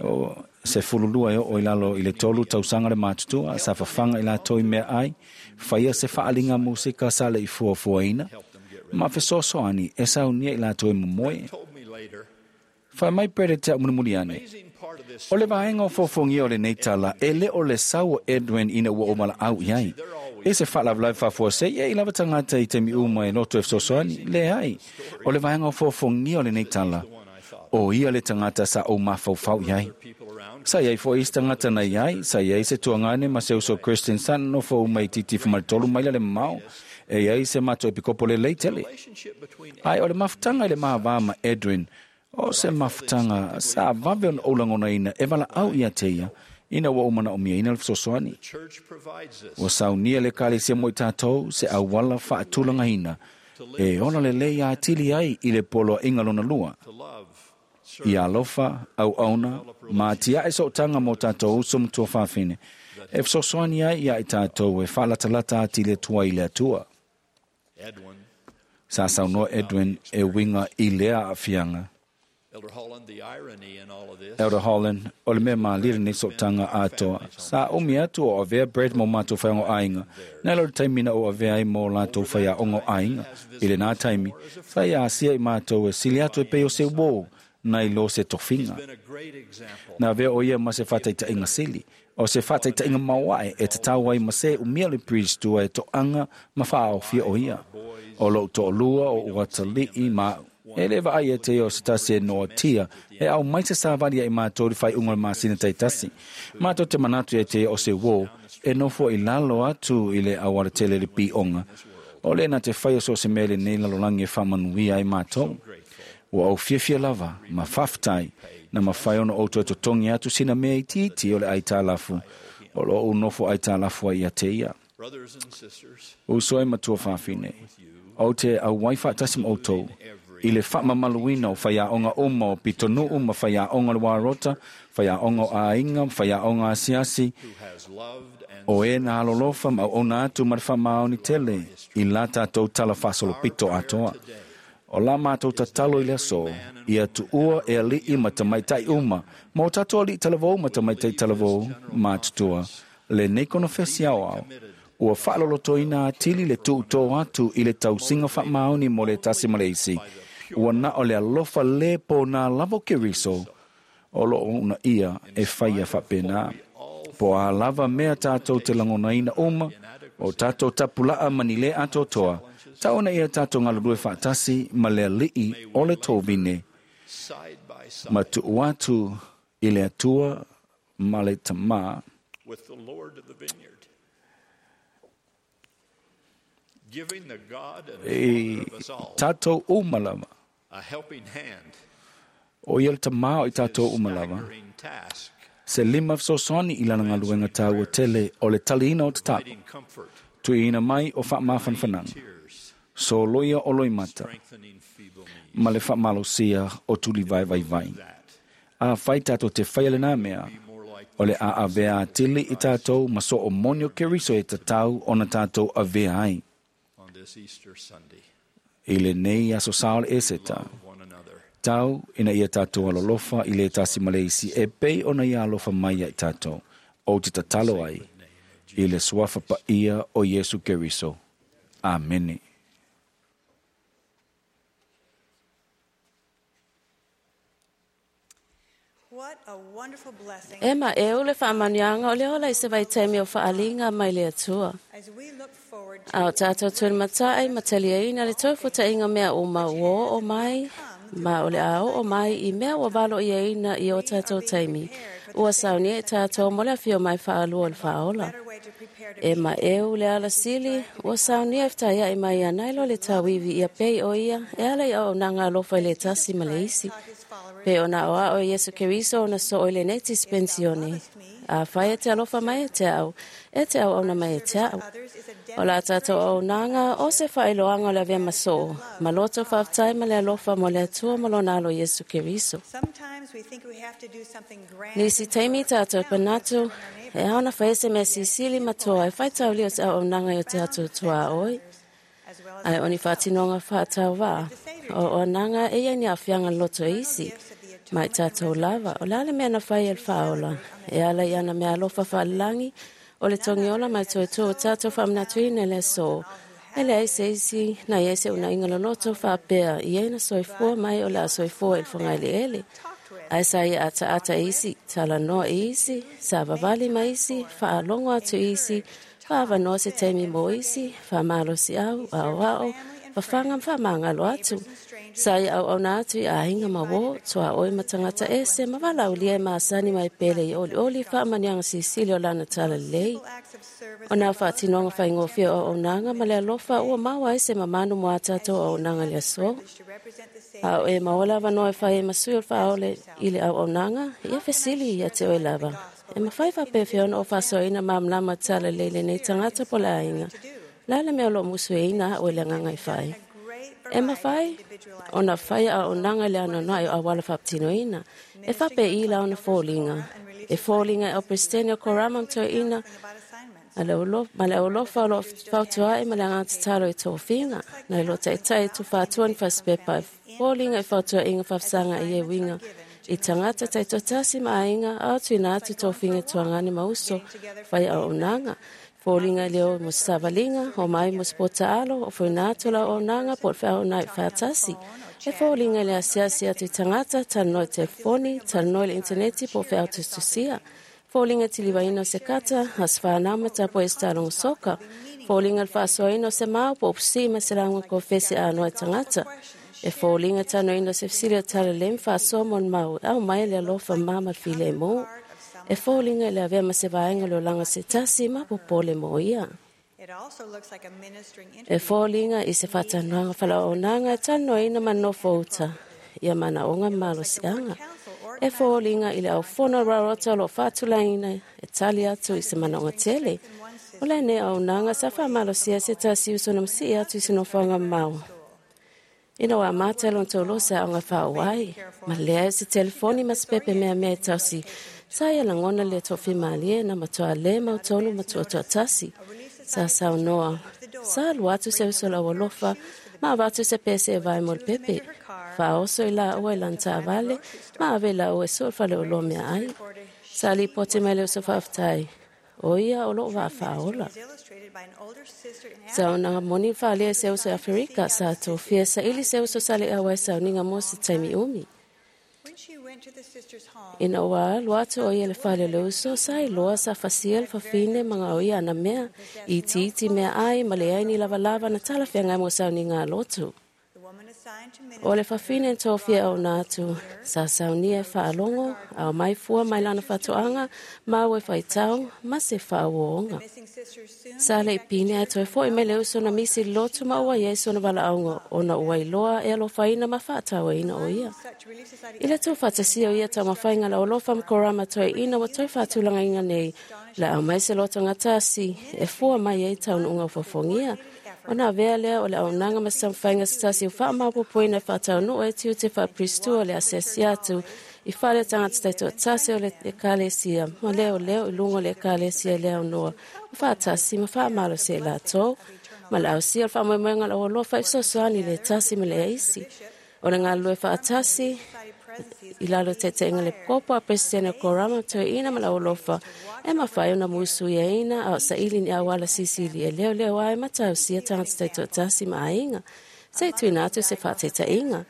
A: O se fululua e oo i lalo i le tolu tausaga le matutua, sa fafaga i latou i meaai, faia se faaliga musika sa le'i fuafuaina, ma fesoasoani e saunia i latou e momoe. Fai mai Brett e te a'u mulimuli ane, O le vaega o fofogia o lenei tala, e le o le sau o Edwin ina ua o malaau i ai. E se faalavelave faafuasei e i lava tagata i taimi uma e loto e fesoasoani, leai. O le vaega o fofogia o lenei tala, o ia le tagata sa ou mafaufau i ai. Sa iai foi isi tagata na iai, sa iai se tuagane ma se uso Christian sa nofo uma i titifu ma le tolu maila le mamao, e iai se matou epikopo lelei tele. Ae o le mafutaga i le mavā ma Edwin, o se mafutaga sa vave ona ou lagonaina e valaau ia te ia, ina ua ou manaomiaina le fesoasoani. Ua saunia le Ekalesia mo i tatou se auala faatulagaina e ola lelei atili ai i le poloaiga lona lua. Ia alofa, auauna, ma atiae sootaga mo tatou uso ma tuafafine, e fesoasoani ai ia i tatou e faalatalata atili atu ai i le Atua. Sa saunoa Edwin e uiga i lea aafiaga. Elder Holland, o le mea malie lenei sootaga atoa. Sa umi atu o avea Brett mo matou faiaoga o aiga, nai lo le taimi na ou avea ai mo latou faiaoga o aiga. I lenā taimi, sa ia asia i matou e sili atu e pei o se uō, nai lo se tofiga. Na avea o ia ma se faataitaiga sili, o se faataitaiga maoae e tatau ai ma se umia le priest tua e toaga ma faaofia o ia. O lou toalua o uatalii ma au. E le vaai e te o se tasi e noatia e au mai se savali ai matou i le faaiuga o le masina taitasi. Matou te manatu e te o se uō e nofo i lalo atu i le auala tele le pioga. O le na te whai o so se mele nei lalolagi e faamanuia ai matou. Ua ou fiafia lava ma faafetai na mafai ona ou toe totogi atu sina mea itiiti o le aitalafu o lo o nofo aitalafu ai ia te ia. Uso e ma tuafafine, o te auai faatasi ma outou i le faamamaluina o faiaoga uma o pitonuu ma faiaoga o le Warota, faiaoga o aiga, faiaoga asiasi, o e na alolofa ma auauna atu ma le faamaoni tele i la tatou tala faasolopito atoa. O la matou tatalo i le aso, ia tuua e alii ma tamaitai uma, ma o tatou alii talavou ma tamaitai talavou matutua, lenei konofesi aoao, ua faalolotoina atili le tuutō atu i le tausiga faamaoni mo le tasi ma le isi, ua na o le alofa lē pōnā lava o Keriso, o loo una ia e faia faapena. Po a lava mea tatou te lagonaina uma, o tatou tapulaa ma ni lē atoatoa, taona ia tatou galulue faatasi ma le alii o le tovine, ma tuu atu i le Atua ma le Tamā,
G: with the Lord of the vineyard, giving the God and
A: e
G: Father of us all
A: tatou uma lava.
G: a helping hand
A: O ia le tamā o i tatou uma lava.
G: staggering task,
A: Se lima fesoasoani i lana galuega taua tele o le taliina o tatalo,
G: providing comfort,
A: tuiina mai o faamafanafanaga,
G: tears,
A: soloia o loimata,
G: strengthening feeble knees.
A: ma le faamalosia o tulivaevaivai.
G: That
A: A fai tatou te faia lenā mea,
G: be more like
A: o le a avea atili i tatou ma so o moni o Keriso e tatau ona tatou avea ai.
G: on this Easter Sunday.
A: I lenei aso sa o le Eseta,
G: Love one another.
A: tau ina ia tatou alolofa i le tasi ma le isi e pei ona ia alofa mai ia i tatou, o te tatalo ai i le suafa paia o Iesu Keriso. Amene.
H: What a wonderful blessing
I: E ma e o le faamanuiaga o le ola i se vaitaimi o faaliga mai le Atua.
H: as we look forward to
I: A o tātou tulimatai ma taliaina le toefutaiga mea uma ua oo mai, ma o le a oo mai i mea ua valoiaina i o tātou taimi. Ua saunia i tātou mo le afio mai faalua o le faaola.
H: better way to prepare to
I: E ma eu le ala sili, ua saunia e ftaiai mai anai lo le tauivi ia pei o ia, e ala i auaunaga alofa i le tasi ma le isi.
H: taught his followers
I: Pe ona o ao Iesu Keriso ona so o le nei dispensione. A whai e te alofa mai e te au, e te au auna mai e te au.
H: others is a
I: O la tātou auaunaga o se faailoaga o le avea masoo, ma loto faafetai ma le alofa mo le Atua ma lona alo Iesu Keriso.
H: Sometimes we think we have to do something grand
I: Nisi taimi tātou panatu, e aona whai se mea sisili matua e whai tauli o te auaunaga i o te atu tua oi.
H: as well as
I: Ai o ni whātinonga whātau wā. O o nanga e ia ni awhianga loto isi. Mai tātou lava, o le mea na whai el whaola. E ala i ana mea alofa whalangi, o le tongiola mai toi tō tātou whamnatuina le so. E le aise isi, na i aise una inga loloto whaapea, i eina soifua mai o le a soifua il whangaile ele.
H: talked with
I: Ae sa ia ataata i isi, talanoa i isi, savavali ma isi, faalogo atu i isi, fa'avanoa se taimi mo isi, fa'amalosi'au, a'oa'o, fafaga ma fa'amagalo atu. Sa ia auauna atu i aiga ma uō, tuaoi ma tagata ese ma valaaulia e masani ma e pele i olioli fa'amaniaga silisili o lana talalelei. O nā fa'atinoga faigofie o auaunaga ma le alofa ua maua ai se mamanu mo a tatou auaunaga i le aso. A o e maua le avanoa e fai ai ma sui o le fa'aole i le auaunaga, ia fesili ia te oe lava. E mafai fa'apefea ona o fa'asoaina malamalama talalelei lenei tagata po le aiga. Le a le mea o lo'o musueina a'u e le agaga e fai. E mafai ona fai auaunaga i le anoanoai o auala fa'apatinoina. E fa'apē'i la ona foliga. E foliga e au Peresetene o Korama ma Toeaina ma le aualofa o lo'o fautua'i ma le agaga tatalo i tofiga. Na i lo'o ta'ita'i e tufātua ni fasipepa e foliga i fautua'iga fa'afesaga i e uiga i tagata ta'itoatasi ma aiga a o tuuina atu tofiga e tuagane ma uso fai auaunaga. Foliga i le o mo se savaliga, o mai mo se pota'alo, o foina atu la auaunaga po o le feauauna'i fa'atasi. E foliga i le asiasi atu i tagata, talanoa i telefoni, talanoa i le initaneti po o feau tusitusia. Foliga tilivaina o se kata, aso whanau ma tapo e se soka. Foliga le fa'asoaina o se mau po o pusi'i ma se lauga kofesi anoa i tagata. E foliga tanoina o se fesili o talalelei ma fa'asoa mo le mau au mai le alofa ma ma le filemu. E foliga i le avea ma se vaega o le olaga o se tasi ma popole mo ia. E foliga i se fa'atanoaga fala'auaunaga e talanoaina ma nofo uta ia manaoga ma malosi'aga. E foliga i le aufono rarota o lo'o fa'atulagaina e tali atu i se manaoga tele. O lenei auaunaga sa fa'amalosia se tasi uso na masi'i atu i se nofoaga mamao. Ina ua amata e lona tauloa se a'oga fa'aauau ma leai o se telefoni ma se pepe meamea e tausi, sa ia lagona le to'afimalie na matuā lē mautonu ma tu'atu'atasi. Sa saunoa, sa alu atu se uso lau alofa ma avatu se pese e vae mo le pepe. Fa'aoso i lāua i lana ta'avale ma ave i lāua e su'u le faleoloa meaai. Sa lipoti mai le uso fa'afetai, o ia o lo'o va'afa'aola. Sa onaga moni fa'alia e se uso e Aferika sa tofia sa'ili se uso sa le auai sauniga mo se taimi umi. Ina ua alu atu o ia le fale o le uso, sa iloa sa fasia le fafine ma gaoia ana mea, itiiti meaai ma leai ni lavalava na talafeagai mo sauniga a lotu. O le fafine na tofia auauna atu, sa saunia e fa'alogo, ao mai fua mai lana fa'ato'aga, mau e faitau, ma se fa'auōga. Sa le'i pine ae toe fo'i mai le uso na misi i le lotu ma ua iai sona vala'auga ona ua iloa e alofaina ma fa'atauaina o ia. I le tuufaatasia o ia taumafaiga la alofa ma korama toeaina ua toe fa'atulagaina nei, le a aumai se lotogatasi e fua mai ai taunu'uga o fofogia. Ona avea lea o le auaunaga ma se taumafaiga se tasi o fa'amaopopoina e fa'ataunu'u ai tiute fa'apiristua o le asiasi atu i fale o tagata taito'atasi o le ekalesia ma leoleo i luga o le ekalesia i le aunoa ma fa'atasi ma fa'amalosia i latou ma le ausia o le fa'amoemoega o le aualofa i fesoasoani i le tasi ma le aisi. O le galulue fa'atasi i lalo ta'ita'iga le kopo a Peresetene o Korama toeaina ma le aualofa e mafai ona musuiaina a o sa'ili ni auala silisili e leoleo ai ma tausia tagata taito'atasi ma aiga. Se i tuuina atu se fa'ataita'iga.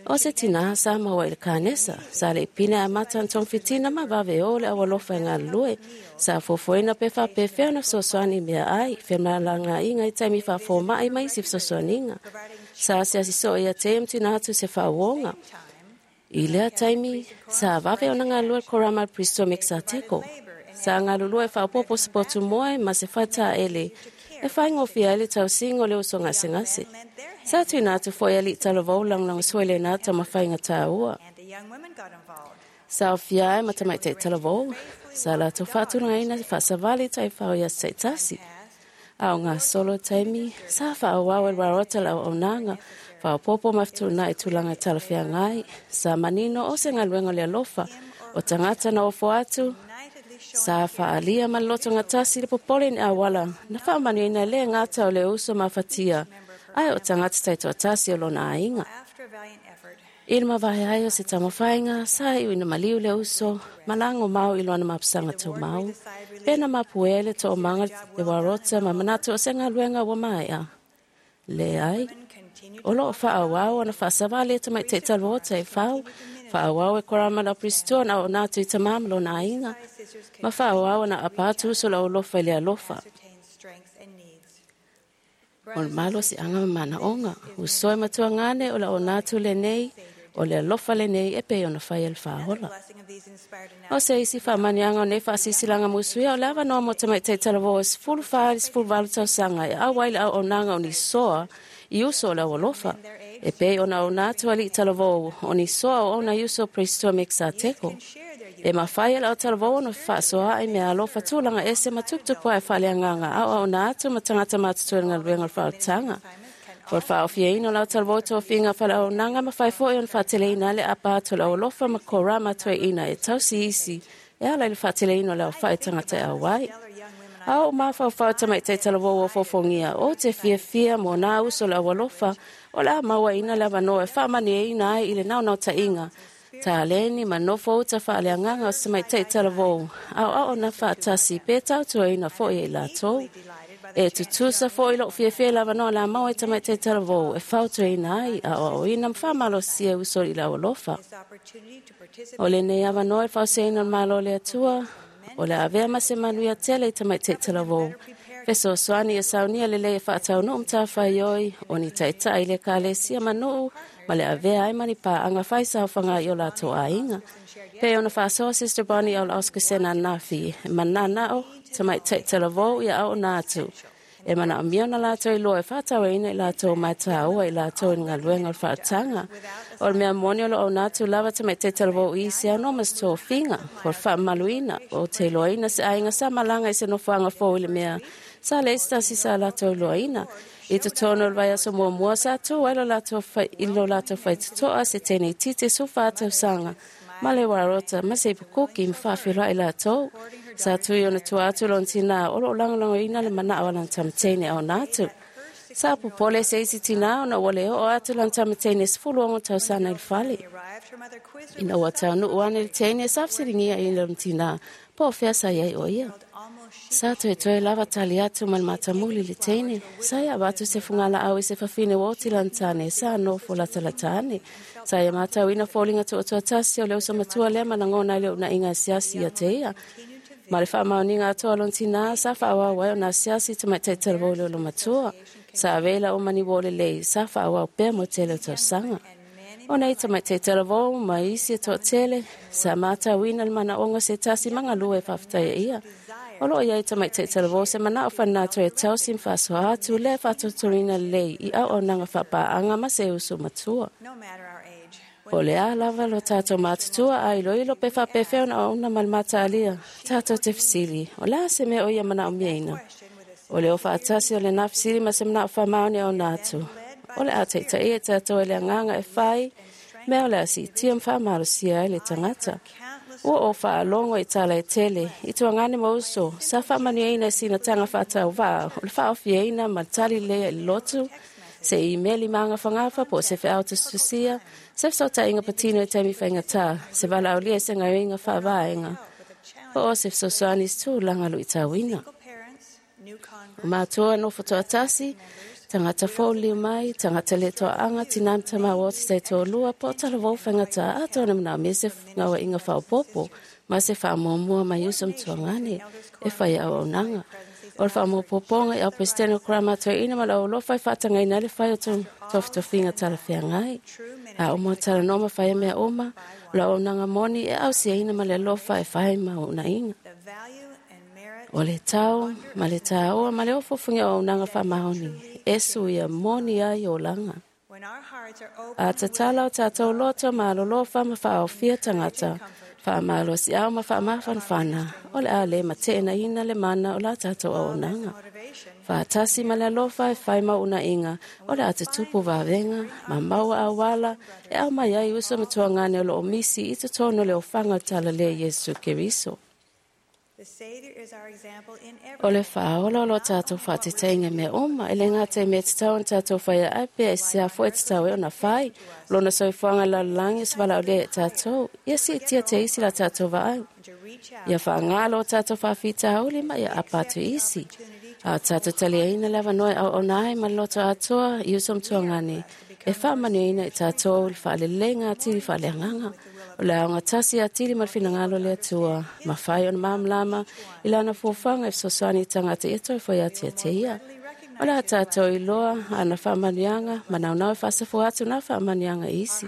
I: O se tinā sa maua i le kanesa, sa le'i pine amata ona togafitina ma vave ō le aualofa e galulue. Sa fuafuaina pe fa'apefea ona fesoasoani i meaai, femalagaaiga i taimi fa'afoma'i ma isi fesoasoaniga. Sa asiasi so'o ia te ia ma tuuina atu se fa'auōga. I lea taimi, sa vave ona galulue le korama a le Pristo Mekisateko. Sa galulue e fa'aopoopo se potu moe ma se fataele e faigofie ai le tausiga o le uso gasegase. Sa tuuina atu fo'i ali'i talavou lagolagosua i lenā taumafaiga tāua. Sa aofia ai ma tamaita'i talavou, sa latou fa'atulagaina fa'asavali taifao i aso ta'itasi. A o gasolo taimi, sa fa'aauau e le rarota le auaunaga, fa'aopoopo ma fetu'una'i tulaga e talafeagai, sa manino o se galuega o le alofa, o tagata na ofo atu, sa fa'alia ma le lotogatasi le popole i ni auala na fa'amanuiaina e lē gata o le uso mafatia, ae o tagata taito'atasi o lona aiga. I le mavae ai o se taumafaiga, sa iu ina maliu le uso, ma lago mau i lona mapusaga taumau, pe na mapuea i le to'omaga le uarota ma manatu o se galuega ua mae'a. Leai, o lo'o fa'aauau ona fa'asavali e tamaita'i talavaō taifau, Fa'aauau e korama le au na auauna atu i tamā ma lona aiga, ma fa'aauau ona aapa atu uso o le aualofa i le alofa. O le malosi'aga ma mana'oga, uso e matuagane o le auauna atu lenei, o le alofa lenei e pei ona fai e le fa'aola. O se isi fa'amaniaga o nei fa'asisilaga musuia o le avanoa mo tamaita'i talavou e sefulu fa i le sefulu valu tausaga e auai le auaunaga o nisoa i uso o le aualofa, e pei ona auauna atu ali'i talavou o nisoa o ona i uso o Presitoa Mekisateko. E mafai e le autalavou ona fa'asoa'i mea alofa tulaga ese ma tuputupu ae fa'aleagaga aoaona atu ma tagata matutua i le galuega o le fa'aolataga. O le fa'aofiaina o le autalavou tofiga faleauaunaga ma fai fo'i ona fa'ateleina ai le apa atu o le aualofa ma korama toe'ina e tausi isi e ala i le fa'ateleina o le aofa'i tagata e auai. A o mafaufau tamaita'i talavou o fofogia o te fiafia mo nā uso o le aualofa o le a mauaina le avanoa e fa'amanieina ai i le naonaota'iga taleni ma nofo uta fa'aleagaga o se tamaita'i talavou aoao na fa'atasi pe tautuaina fo'i e i latou. E tutusa fo'i lo'u fiafia i le avanoa le a maua i tamaita'i talavou e fautuaina ai aoaoina ma fa'amalosia uso i le aualofa. O lenei avanoa e fausiaina o le Malo o le Atua, o le avea ma se manuia tele i tamaita'i talavou. Fesoasoani ia saunia lelei e fa'ataunu'u matafaioi o ni ta'ita'i i le ekalesia manu'u ma le avea ai ma ni pa'aga faisaofaga i o latou aiga. Pe ona fa'asoa Sister Bonnie o Oscar anafi, e manana'o tamaita'i talavou ia auauna atu. E mana'omia ona latou iloa e fa'atauaina i latou ma e tāua i latou i le galuega o le fa'ataga. O le mea moni o lo auauna atu lava tamaita'i talavou i se ano ma se tofiga, o le fa'amamaluina, o te iloaina se aiga sa malaga i se nofoaga fou i le mea sa le isi tasi sa latou iloaina. I totonu o le vaiaso muamua sa tu ai lo latou fai, i lo latou faitoto'a se teine itiiti sefulufa tausaga ma le uarota ma se ipukuki ma fa'afeiloa'i latou. Sa tui ona tua atu lona tinā o lo'o lagolagoina le mana'o a lana tamateine auauna atu. Sa popole se isi tinā ona ua le o'o atu lana tamateine sefulu ono tausaga i le fale. Ina ua taunu'u ane le teine sa fesiligia i lona tinā po o fea sa iai o ia. Sa toetoe lava tali atu ma le matamuli le teine. Sa ia avatu se fugala'au i se fafine ua oti lana tane sa nofo latalata ane. Sa ia matauina foliga tu'atuatasi o le uso matua lea ma lagona ai le u'una'iga asiasi ia te ia. Ma le fa'amaoniga atoa lona tinā sa fa'aauau ai ona asiasi tamaita'i talavou i le olomatua. Sa avea i la'u mani uo lelei sa fa'aauau pea mo tele o tausaga. O nei tamaita'i talavou ma isi e to'atele sa matauina le mana'oga se tasi magalua e fa'afetaia ia. O lo'o iai tamaita'i talavou se mana'o faninato e tausi ma fa'asoa atu lea fa'atotoina lelei i auaunaga fa'apa'aga ma se uso matua. O le a lava lo tatou matutua a iloilo pe fa'apefea ona auauna ma le mataalia, tatou te fesili, o le a se mea o ia mana'omiaina. O le o fa'atasi o lenā fesili ma se mana'o fa'amaoni auauna atu. O le a ta'ita'i e tatou e le agaga e fai, mea o le a si'itia ma fa'amalosia ai le tagata. Ua o fa'alogo i tala e tele, i tuagane ma uso, sa fa'amanuiaina e sinataga fa'atauvā, o le fa'aofiaina ma le tali lea i le lotu, se imeli magafagafa po o se fe'ao tusitusia, se feso'ota'iga patino i taimi faigatā, se vala'aulia i se gaoioiga fa'avaega, po o se fesoasoani i se tulaga lu'itauina. O matua nofo to'atasi, tagata fou liu mai, tagata le toa'aga, tinā ma tamā ua oti taitoalua, po o talavou faigatā, atoa na mana'omia se gaua'iga fa'aopoopo, ma se fa'amuamua mai uso ma tuagane, e fai auaunaga. O le fa'amaopopoga i au Peresetene o Korama toe'ina ma le aualofa e fa'atagaina ai le fai o tofitofiga talafeagai. A uma talanoa ma fai mea uma, o le auaunaga moni e ausiaina ma le alofa e fai ma u'una'iga. O le tau ma le tāoa ma le ofofogia o auaunaga fa'amaoni e suia moni ai olaga. A tatala o tatou loto ma alolofa ma fa'aofia tagata, fa'amalosi'au ma fa'amafanafana, o le a lē mate'enaina le mana o la tatou auaunaga. Fa'atasi ma le alofa e fai ma u'una'iga, o le a tutupu vavega, ma maua auala, e aumai ai uso ma tuagane o lo'o misi i totonu o le ofaga o le talalē Iesu Keriso. O le fa'aola o lo tatou fa'atetaiga mea uma, e le gata i mea tatau ona tatou faia ai pea e sea fo'i tatau ai ona fai, lona soifuaga i lalolagi o se valaaulia ia tatou, ia si'itia te isi la tatou vaai. Ia fa'agā lo tatou fa'afitauli ma ia apa atu isi. A o tatou taliaina le avanoa e auauna ai ma le loto atoa i uso ma tuagane, e fa'amanuiaina i tatou le fa'aleleiga atili fa'aleagaga. O le aogatasi atili ma le finagalo o le Atua, ma fai ona malamalama i lana fuafuaga e fesoasoani i tagata ia toe foi atu ia te ia. O le a tātou iloa ana faamanuiaga ma naunau e faasafua atu na faamanuiaga i isi.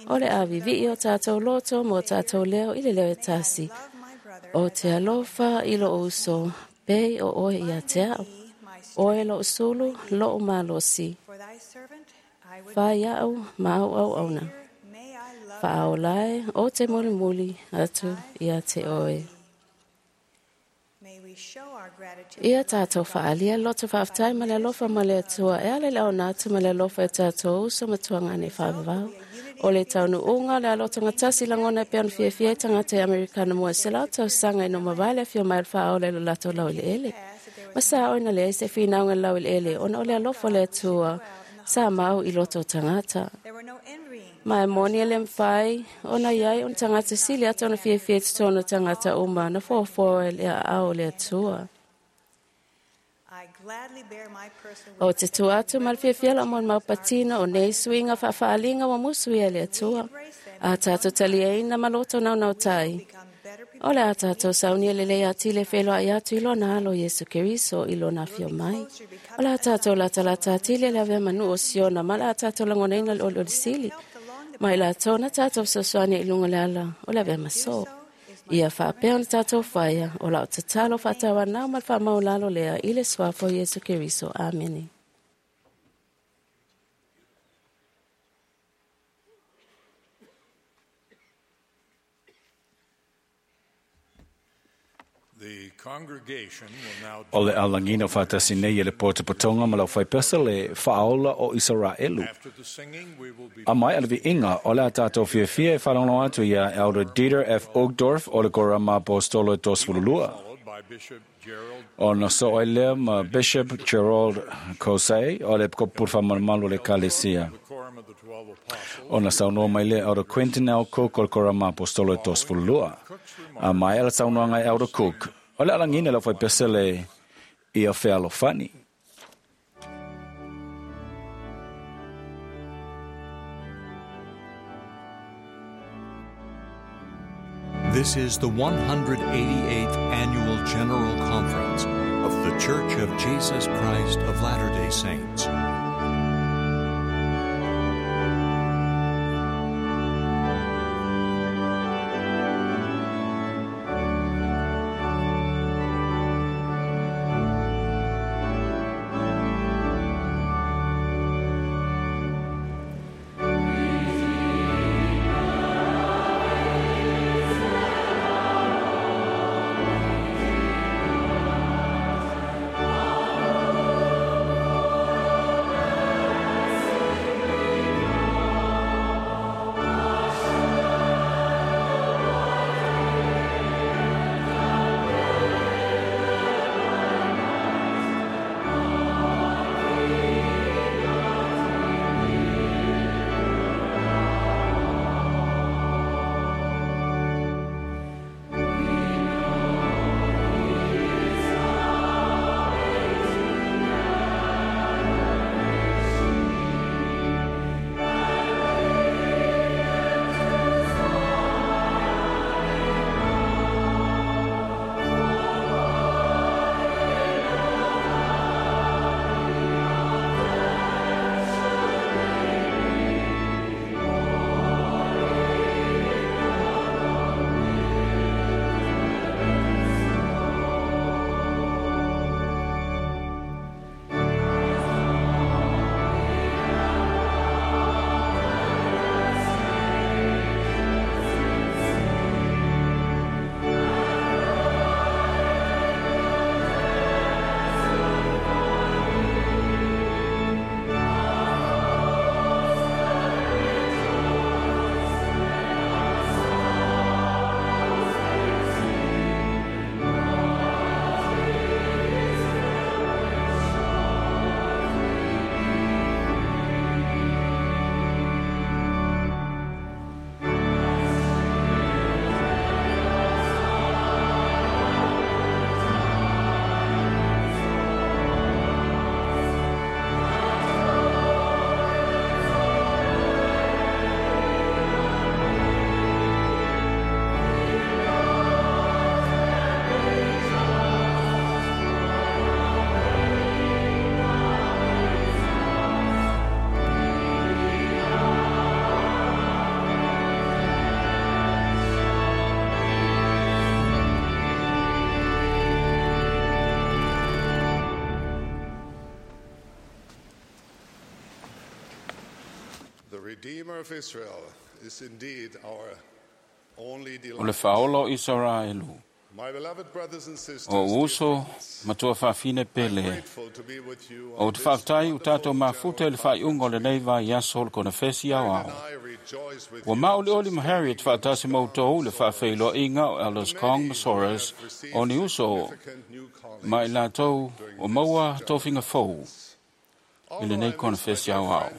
I: O le avivii o tātou loto mo tātou leo i le leo e tasi. O te alofa i lo uso, pei o oe ia te au. Oe lo usulu, lo umalosi. Whai au, mau au auna. Whaolae o te mulimuli atu ia te oe. Ia tātou whaalia loto whaaftai ma le alofa ma le Atua e ale le ona atu ma le alofa e tātou uso matuanga nei whaavavau. O le taunu unga le aloto ngatasi langona e peon fiafia i tangata e Amerikana mua se lau tausaga i no mawale fio mai whaola i lo lato lau ile ele. Masa oina le se whinaunga lau ile ele ona o le alofa le Atua sa mau i loto tangata. Mai moni ele mwhai, ona iai on tangata sili ata ona fiafia tōna tangata uma na fōfō e le au le Atua. O te tua atu ma le fiafia la mo maupatina o nei suiga faafaalinga ua musuia e le Atua. A tātou taliaina ma loto naunau tai. O le a tātou saunia lelei atili e wheloai atu i lona alo Iesu Keriso i lona afio mai. O le a tātou latalata atili e le avea manu o Siona ma le a tātou lagonaina le olioli sili. Ma i latou na tātou fesoasoani i luga o le ala o le avea maso. Ia faapea ona tātou whaia o lau tatalo faatauanau ma le faamaulalo lea i le suafa o Iesu Keriso. Amene.
G: The congregation will now
A: O le alangina whātasi nei e le pōtapotonga ma lau whaipesa le whaaola o Israelu.
G: After the singing, we will be
A: A mai ala viinga o le a tātou fiafia e whalongo atu ia Elder Dieter F. Uchtdorf o le Korama Apostolo e Tosfululua.
G: followed by Bishop Gerald
A: O na so ai lea ma Bishop Gerald Kosei o le Kopurfa Malmalu le Kalesia.
G: the Quorum of the Twelve Apostles,
A: O na saunoa mai lea Elder Quentin L. Cook o le Korama Apostolo e Tosfululua. A mai ala saunoanga e Elder Cook. O le alangina lau whaipesa le ia fealofani.
B: This is the one hundred eighty-eighth Annual General Conference of The Church of Jesus Christ of Latter-day Saints.
A: O le faaola o Isaraelu. O uso matua faafine pele. O te faafetai o tātou mafuta i le faaiuga o lenei vaiaso o le konefesi aoao. Ua maolioli ma Harriet faatasi ma outou i le faafeiloaiga o Elders Kong ma Soares o ni uso ma i latou o maua tofiga fou i lenei konefesi aoao.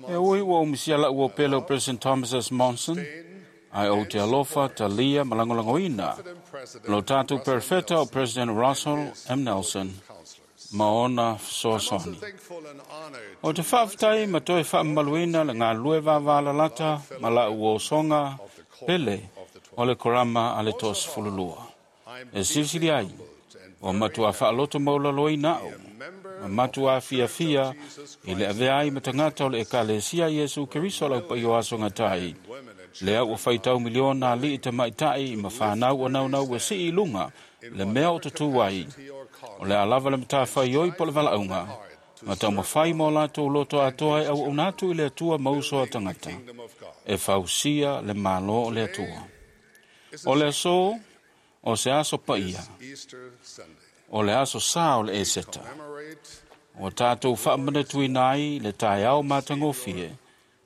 A: E ui ua umisia lau o pele o President Thomas S. Monson, ai o te alofa, talia ma lagolagoina lo tātou perfeta o President Russell M. Nelson ma ona fesoasoani. O te faafetai ma toe faamamaluina le galulue vavalalata ma lau osoga pele o le korama a le toasefululua. E silisili ai, ua matua faaloto maulaloina au, ma matua fiafia i le avea ai ma tagata o le Ekalesia Iesu Keriso lau paia o aso gatai. Lea ua faitau miliona ali'i tamaita'i ma fanau o naunau e sii i luga le mea o tutū ai. O le a lava le matafaioi po o le valaauga, ma taumafai ma o latou loto atoa e auauna atu i le Atua ma uso a tagata, e fausia le Malo o le Atua. O le aso, o se aso paia, o le aso sā o le Eseta. Ua tātou faamanatuina ai le taeao matagofie,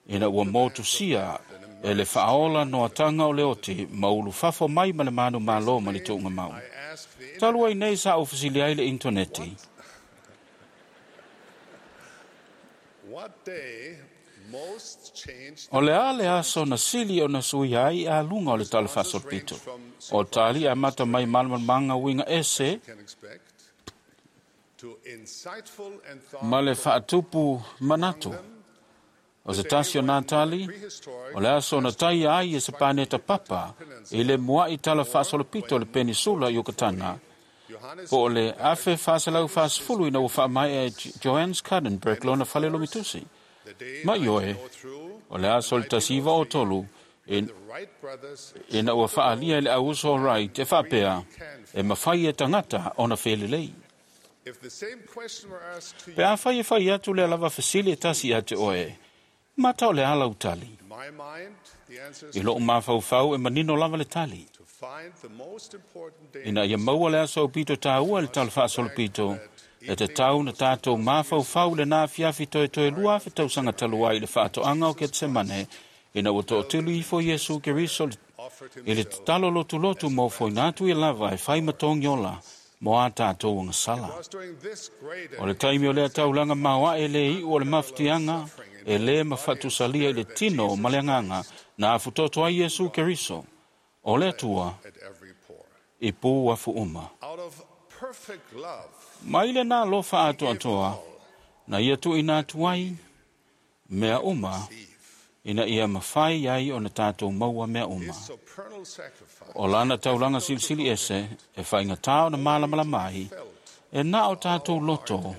A: ina ua motusia e le faaola noataga o le oti ma ulufafo mai ma le manu malo ma le tuugamau. Talu ai nei sa ofisili ai le intaneti. O le a le aso na sili o na sui ai a lunga o le tala faasolopito. O tali a mata mai malamalamaga uiga ese ma le faatupu manatu. O se tasi o nā tali, o le aso na taia ai e se paneta papa i le mua'i tala faasolopito le penisula i Yucatana. Po o le afe faaselau faasefulu ina ua faamaea e Johannes Gutenberg lona fale lomitusi. Ma ioe, o le aso le tasi iva o tolu, ina ua faalia i le auuso o Wright e faapea, e mafai e tagata ona felelei. Pe afai e fai atu le lava fesili e tasi ia te oe, mata o le ala u tali. I loo mafaufau e manino lava le tali. Ina ia maua le aso o pito tāua le tala faasolopito, e te tau na tātou mafaufau le nā fiafi toe toe lua afe tausaga talu ai i le faatoaga o Ketsemane, ina ua toatelu ifo Iesu Keriso i le tatalo lotulotu mo foina atu ia lava e fai matogi ola mo a tātou agasala. O le taimi o lea taulaga maoae le iu o le mafutiaga, e le mafatusalia i le tino ma le agaga na afutoto ai Iesu Keriso, o le Atua i pū afu uma. Mai le nā lofa atoatoa, na ia tuuina atu ai mea uma, ina ia mafai ai ona tātou maua mea uma. O lana taulaga silisili ese, e faigata ona malamalama ai, e na o tātou loto,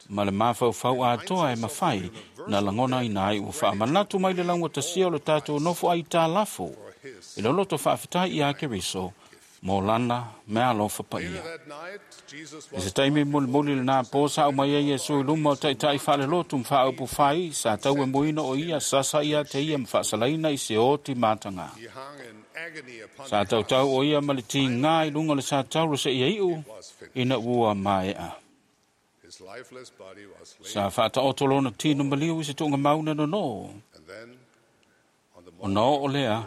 A: ma le mafaufau atoa e mafai na lagona ina ai ua faamanatu mai le laugatasia o le tātou nofo ai tālafo, i le loto faafetai ia Keriso, mo lana mea alofa paia. I se taimi mulimuli lenā po sa au mai ai Iesu i luma o taʻitaʻi faalelotu ma faaupu fai sa tau e muina o ia sasa ia te ia ma faasalaina i se oti mataga. Sa tautau o ia ma le tigā i luga o le satauro seia iʻu ina ua maeʻa. Sa faataoto lona tino maliu i se tuugamauna nonoo. Ona oo lea,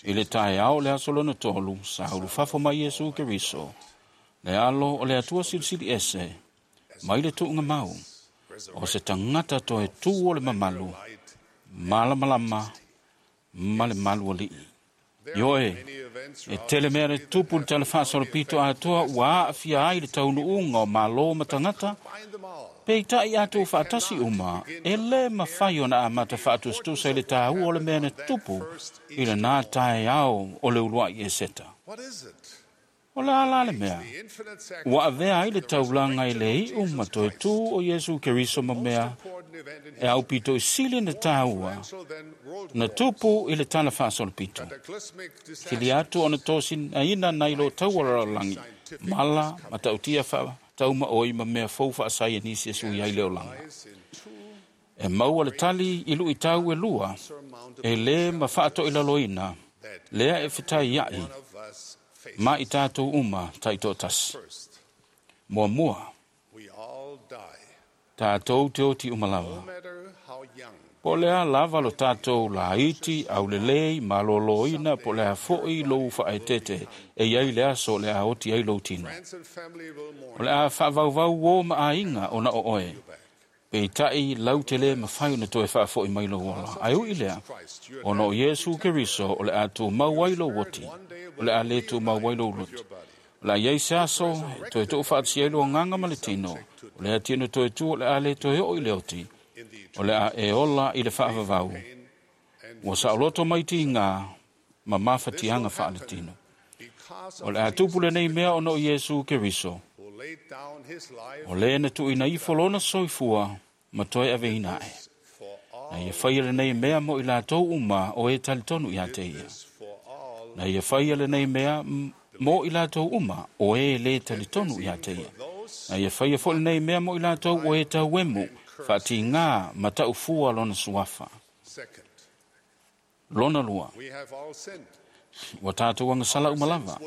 A: i le taeao le aso lona tolu, sa ulufafo mai Iesu Keriso, le alo o le Atua silisili ese, mai le tuugamau, o se tagata toe tū o le mamalu, malamalama ma le malu ali'i. Ioe, e tele mea le tupu le tala faasolopito atoa ua aafia ai le taunuuga o malo ma tagata, peitai atou faatasi uma, e lē mafai ona amata faatusatusa i le tāua o le mea na tupu i lenā taeao o le ulua'i Eseta. O le a la le mea, ua avea ai le taulaga i le iʻu ma toe tū o Iesu Keriso ma mea e aupito i sili na tāua na tupu i le tala faasolopito. Sili atu ona tosinaina nai lo taua lalolagi, mala ma tautia faatauma oi ma mea fou faasaianisi e sui ai le olaga. E maua le tali i luʻitau e lua, e lē ma faatoʻilaloina, lea e fetaiaʻi ma i tatou uma taitoʻatasi. Muamua, tatou te oti uma lava. Po o le a lava lo tatou laiti, aulelei, malōlōina, po o le a foʻi lou faaetete, e iai le aso o le a oti ai lou tino. O le a faavauvau uō ma aiga ona o oe, peitaʻi lau te lē mafai ona toe faafoʻi mai lou ola. Ae uʻi lea, ona o Iesu Keriso o le a tumau ai lou oti, o le a lē tumau ai lou loto. O le a iai se aso, e toe tuʻu faatasia ai lou agaga ma le tino, o lea tino toe tu o le a lē toe oo i le oti, o le a e ola i le faavavau. Ua saoloto mai tigā ma mafatiaga faaletino. O le a tupu lenei mea ona o Iesu Keriso, o lē na tuuina ifo lona soifua ma toe aveina aʻe. Na ia faia lenei mea mo i latou uma o e talitonu iā te ia. Na ia faia lenei mea mo i latou uma o e lē talitonu iā te ia. Na ia faia foʻi lenei mea mo i latou o e tauemu faatigā ma taʻufua lona suafa. Lona lua, ua tatou agasala uma lava.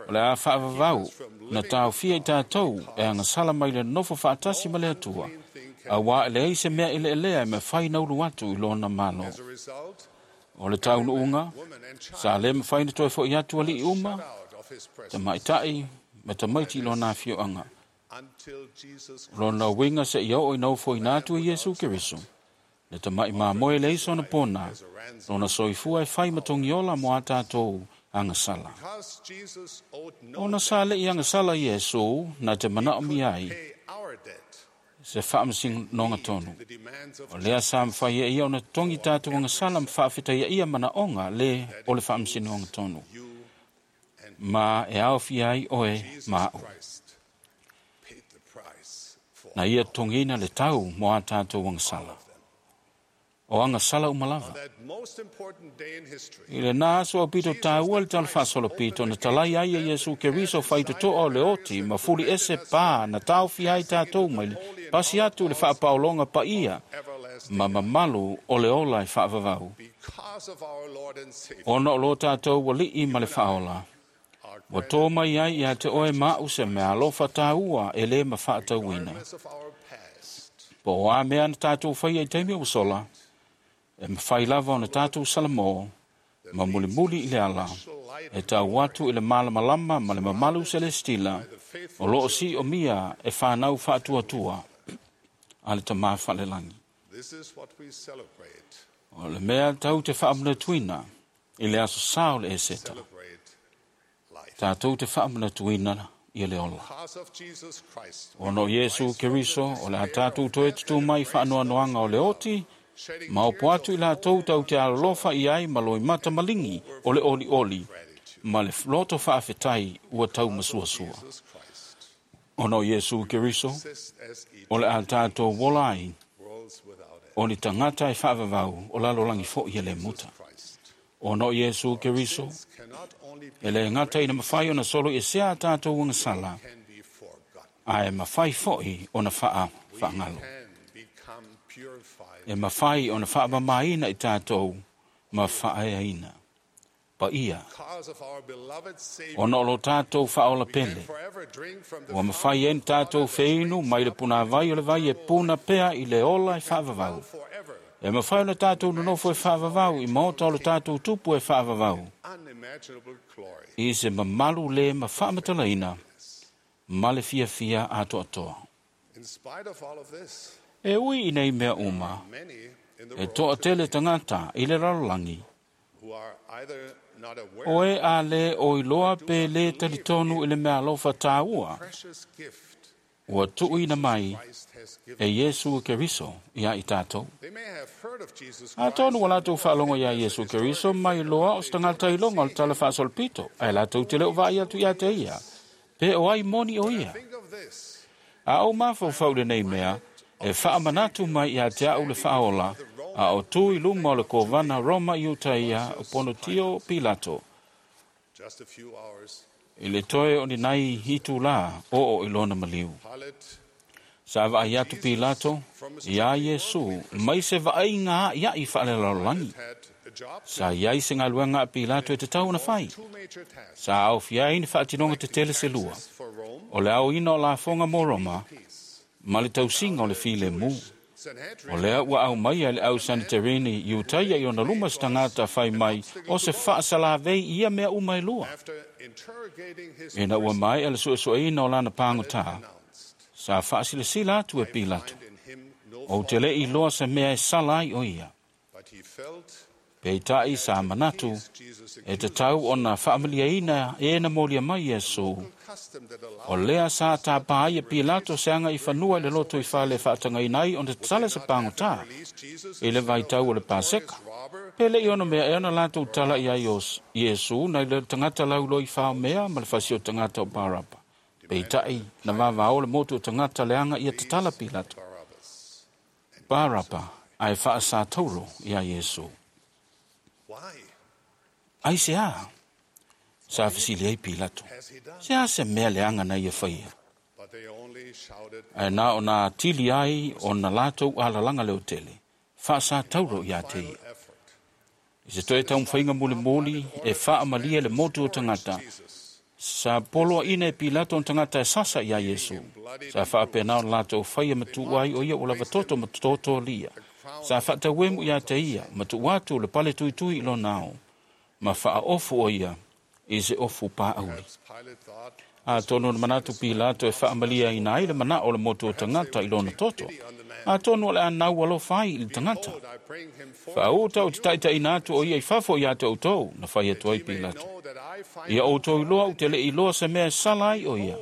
A: O le a faavavau na taofia i tatou e agasala mai le nofo faatasi ma le Atua, auā e leai se mea eleelea e mafai na ulu atu i lona malo. O le taunuuga, sa lē mafai na toe foʻi atu aliʻi uma, tamaitaʻi ma tamaiti i lona afioaga. Lona uiga seia oo ina ofoina atu e Iesu Keriso, le tamaʻi mamoe e leai sona pona, lona soifua e fai ma togiola mo a tatou agasala. Ona sa leʻi agasala Iesu na te manaʻomia ai se faamasinoga tonu. O lea sa mafai e ia ona totogi tatou agasala ma faafetaiaʻia manaʻoga lē o le faamasinoga tonu. Ma e aofia ai oe ma aʻu. Na ia togina le tau mo a tatou agasala. O agasala uma lava. I lenā aso aupito tāua le tala faasolopito na talai ai e Iesu Keriso faitotoa o le oti ma fuli ese pā na taofia ai tatou mai le pasi atu le faapaologa paia ma mamalu o le ola e faavavau. Ona o lo tatou aliʻi ma le faaola, ua tō mai ai iā te oe ma aʻu se mea alofa tāua e lē mafaatauina. Po o a mea na tatou faia i taimi ua sola, e mafai lava ona tatou salamō ma mulimuli i le ala, e tau atu i le malamalama ma le mamalu selestila o loo siʻomia e fanau faatuatua a le Tamā Faalelagi. O le mea tau te faamanatuina i le aso sā o le Eseta, tatou te faamanatuina ia le ola. Ona o Iesu Keriso, o le a tatou toe tutū mai faanoanoaga o le oti, ma opo atu i latou tau te alolofa i ai ma loimata maligi o le olioli ma le loto faafetai ua taumasuasua. Ona o Iesu Keriso, o le a tatou ola ai o ni tagata e faavavau o lalolagi foʻi e lē muta. Ona o Iesu Keriso, e lē gata ina mafai ona solo i esea a tatou agasala, ae mafai foʻi ona faa faagalo. E mafai ona faamamāina i tatou ma faaeaina. Paia, ona o lo tatou faaola pele, ua mafai ai na tatou feinu mai le punāvai o le vai e puna pea i le ola e faavavau. E mafai ona tatou nonofo e faavavau i maota o le tatou tupu e faavavau, i se mamalu lē ma faamatalaina ma le fiafia atoatoa. E ui i nei mea uma, e toʻatele tagata i le lalolagi, o e a lē o iloa pe lē talitonu i le mea alofa tāua, ua tuuina mai e Iesu Keriso iā i tatou. Atonu ua latou faalogo iā Iesu Keriso mai loa o se tagata iloga o le tala faasolopito, ae latou te le o vaai atu iā te ia, pe o ai moni o ia. A ou mafaufau lenei mea, e faamanatu mai iā te aʻu le faaola, a o tu i luma o le kovana Roma i Utaia o Ponotio Pilato, i le toe o ni nai itulā oo i lona maliu. Sa vaai atu Pilato iā Iesu mai se vaaiga a'ia'i faalelalolagi. Sa iai se galuega a Pilato e tatau ona fai. Sa aofia ai ni faatinoga tetele se lua, o le aoina o lafoga mo Roma ma le tausiga o le filemu. O lea ua aumaia e le au Saniterini Iutaia i ona luma se tagata fai mai o se faasalavei i ia mea uma e lua. Ina ua maea le suesueina o lana pagotā, sa faasilasila atu e Pilato, ou te le iloa se mea e sala ai o ia. Peitai sa manatu e tatau ona faamaliaina e na molia mai Iesu. O lea sa tāpā ai e Pilato se aga i fanua i le loto i fale e faatagaina ai ona tatala se pagotā i le vaitau o le Paseka. Pe le'i ona mea e ona latou tala i ai o Iesu nai le tagata lauloi faomea ma le fasi o tagata o Baraba. Peitai na vavao le motu o tagata leaga ia tatala Pilato Baraba ae faasatauro iā Iesu. Ai se a? Sa fesili ai Pilato. Se a se mea leaga na ia faia? Ae na ona atili ai ona latou alalaga leotele, faasatauro iā te ia. I se toe taumafaiga mulimuli e faamalie le motu o tagata, sa poloaina e Pilato ona tagata e sasa iā Iesu. Sa faapena ona latou faia matu'u ai o ia ua lava toto ma totolia. Sa faatauemu iā te ia, matu'u atu le pale tuitui i lona ao, ma faaofu o ia i se ofu pā'auli. Atonu na manatu Pilato e faamaliaina ai le mana'o o le motu o tagata i lona toto. Atonu o le anau alofa ai i le tagata. Faauta o te taitaina atu o ia i fafo iā te outou, na fai atu ai Pilato. Ia outou iloa ou te le iloa se mea e sala ai o ia.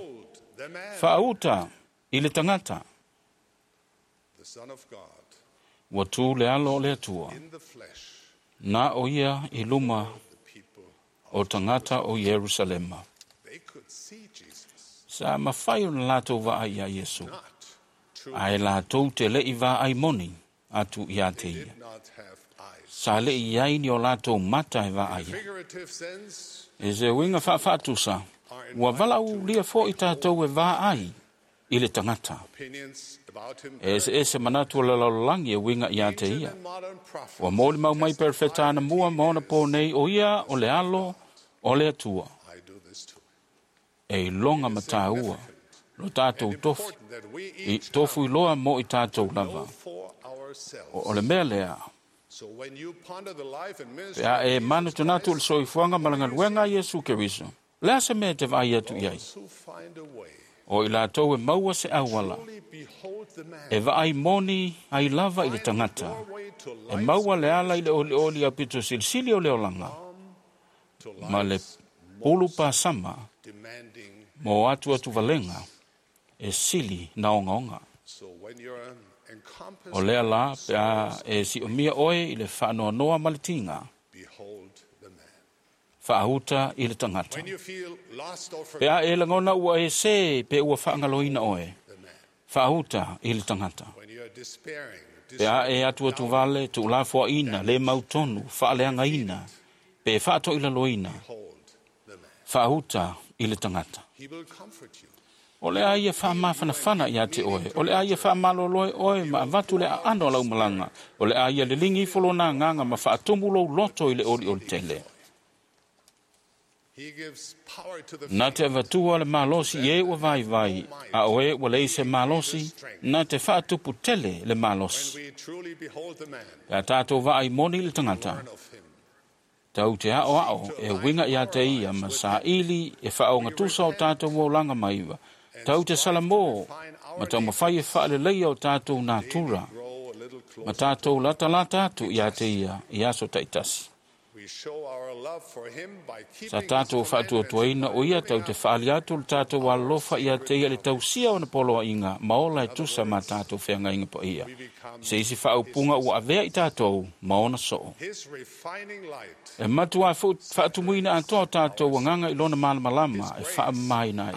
A: Faauta i le tagata. Ua tu le alo o le Atua. Na o ia i luma o tagata o Ierusalema. Sa mafai ona latou vaai iā Iesu, ae latou te le'i vaai moni atu iā te ia. Sa le'i iai ni o latou mata e vaai ai. E se uiga faafaatusa, ua valaaulia fo'i tatou e vaai i le tagata. E eseese manatu o le lalolagi e uiga iā te ia. Ua molimau mai perofeta anamua ma ona pō nei o ia o le alo o le Atua. E iloga ma tāua lo tatou tofi, i tofu iloa mo i tatou lava. O, o le mea lea, pe a e manatunatu le soifuaga ma le galuega a Iesu Keriso, le a se mea e te vaai atu i ai? O i latou e maua se auala, e vaai moni ai lava i le tagata, e maua le ala i le olioli aupito silisili o le olaga, ma le pulu pasama mo atu atu valega e sili na ogaoga. O lea la pe a e si'omia oe i le faanoanoa ma le tiga, faauta i le tagata. Pe a e lagona ua e sē pe ua faagaloina oe, faauta i le tagata. Pe a e atuatuvale tuulafoaina le mautonu faaleagaina pe faatoilaloina, faauta i le tagata. O le a ia faamafanafana iā te oe, o le a ia faamalolo oe ma avatu le aano o laumalaga, o le a ia liligi ifo lona agaga ma faatumu lou loto i le olioli tele. Na te avatua le malosi i e ua vaivai, a o e ua leai se malosi, na te faatupu tele le malosi. Pe a tatou vaai moni i le tagata, tau te a'oa'o e uiga iā te ia ma saili e faaogatusa o tatou olaga maiva, tau te salamō ma taumafai e faaleleia o tatou natura, ma tatou latalata atu iā te ia i aso taitasi. Sa tatou faatuatuaina o ia tau te faali atu le tatou alolofa iā te ia le tausia ona poloaiga ma ola e tusa ma tatou feagaiga paia. Se isi faaupuga ua avea i tatou ma ona soo. E matuā faatumuina atoa o tatou agaga i lona malamalama e faamamaina ai.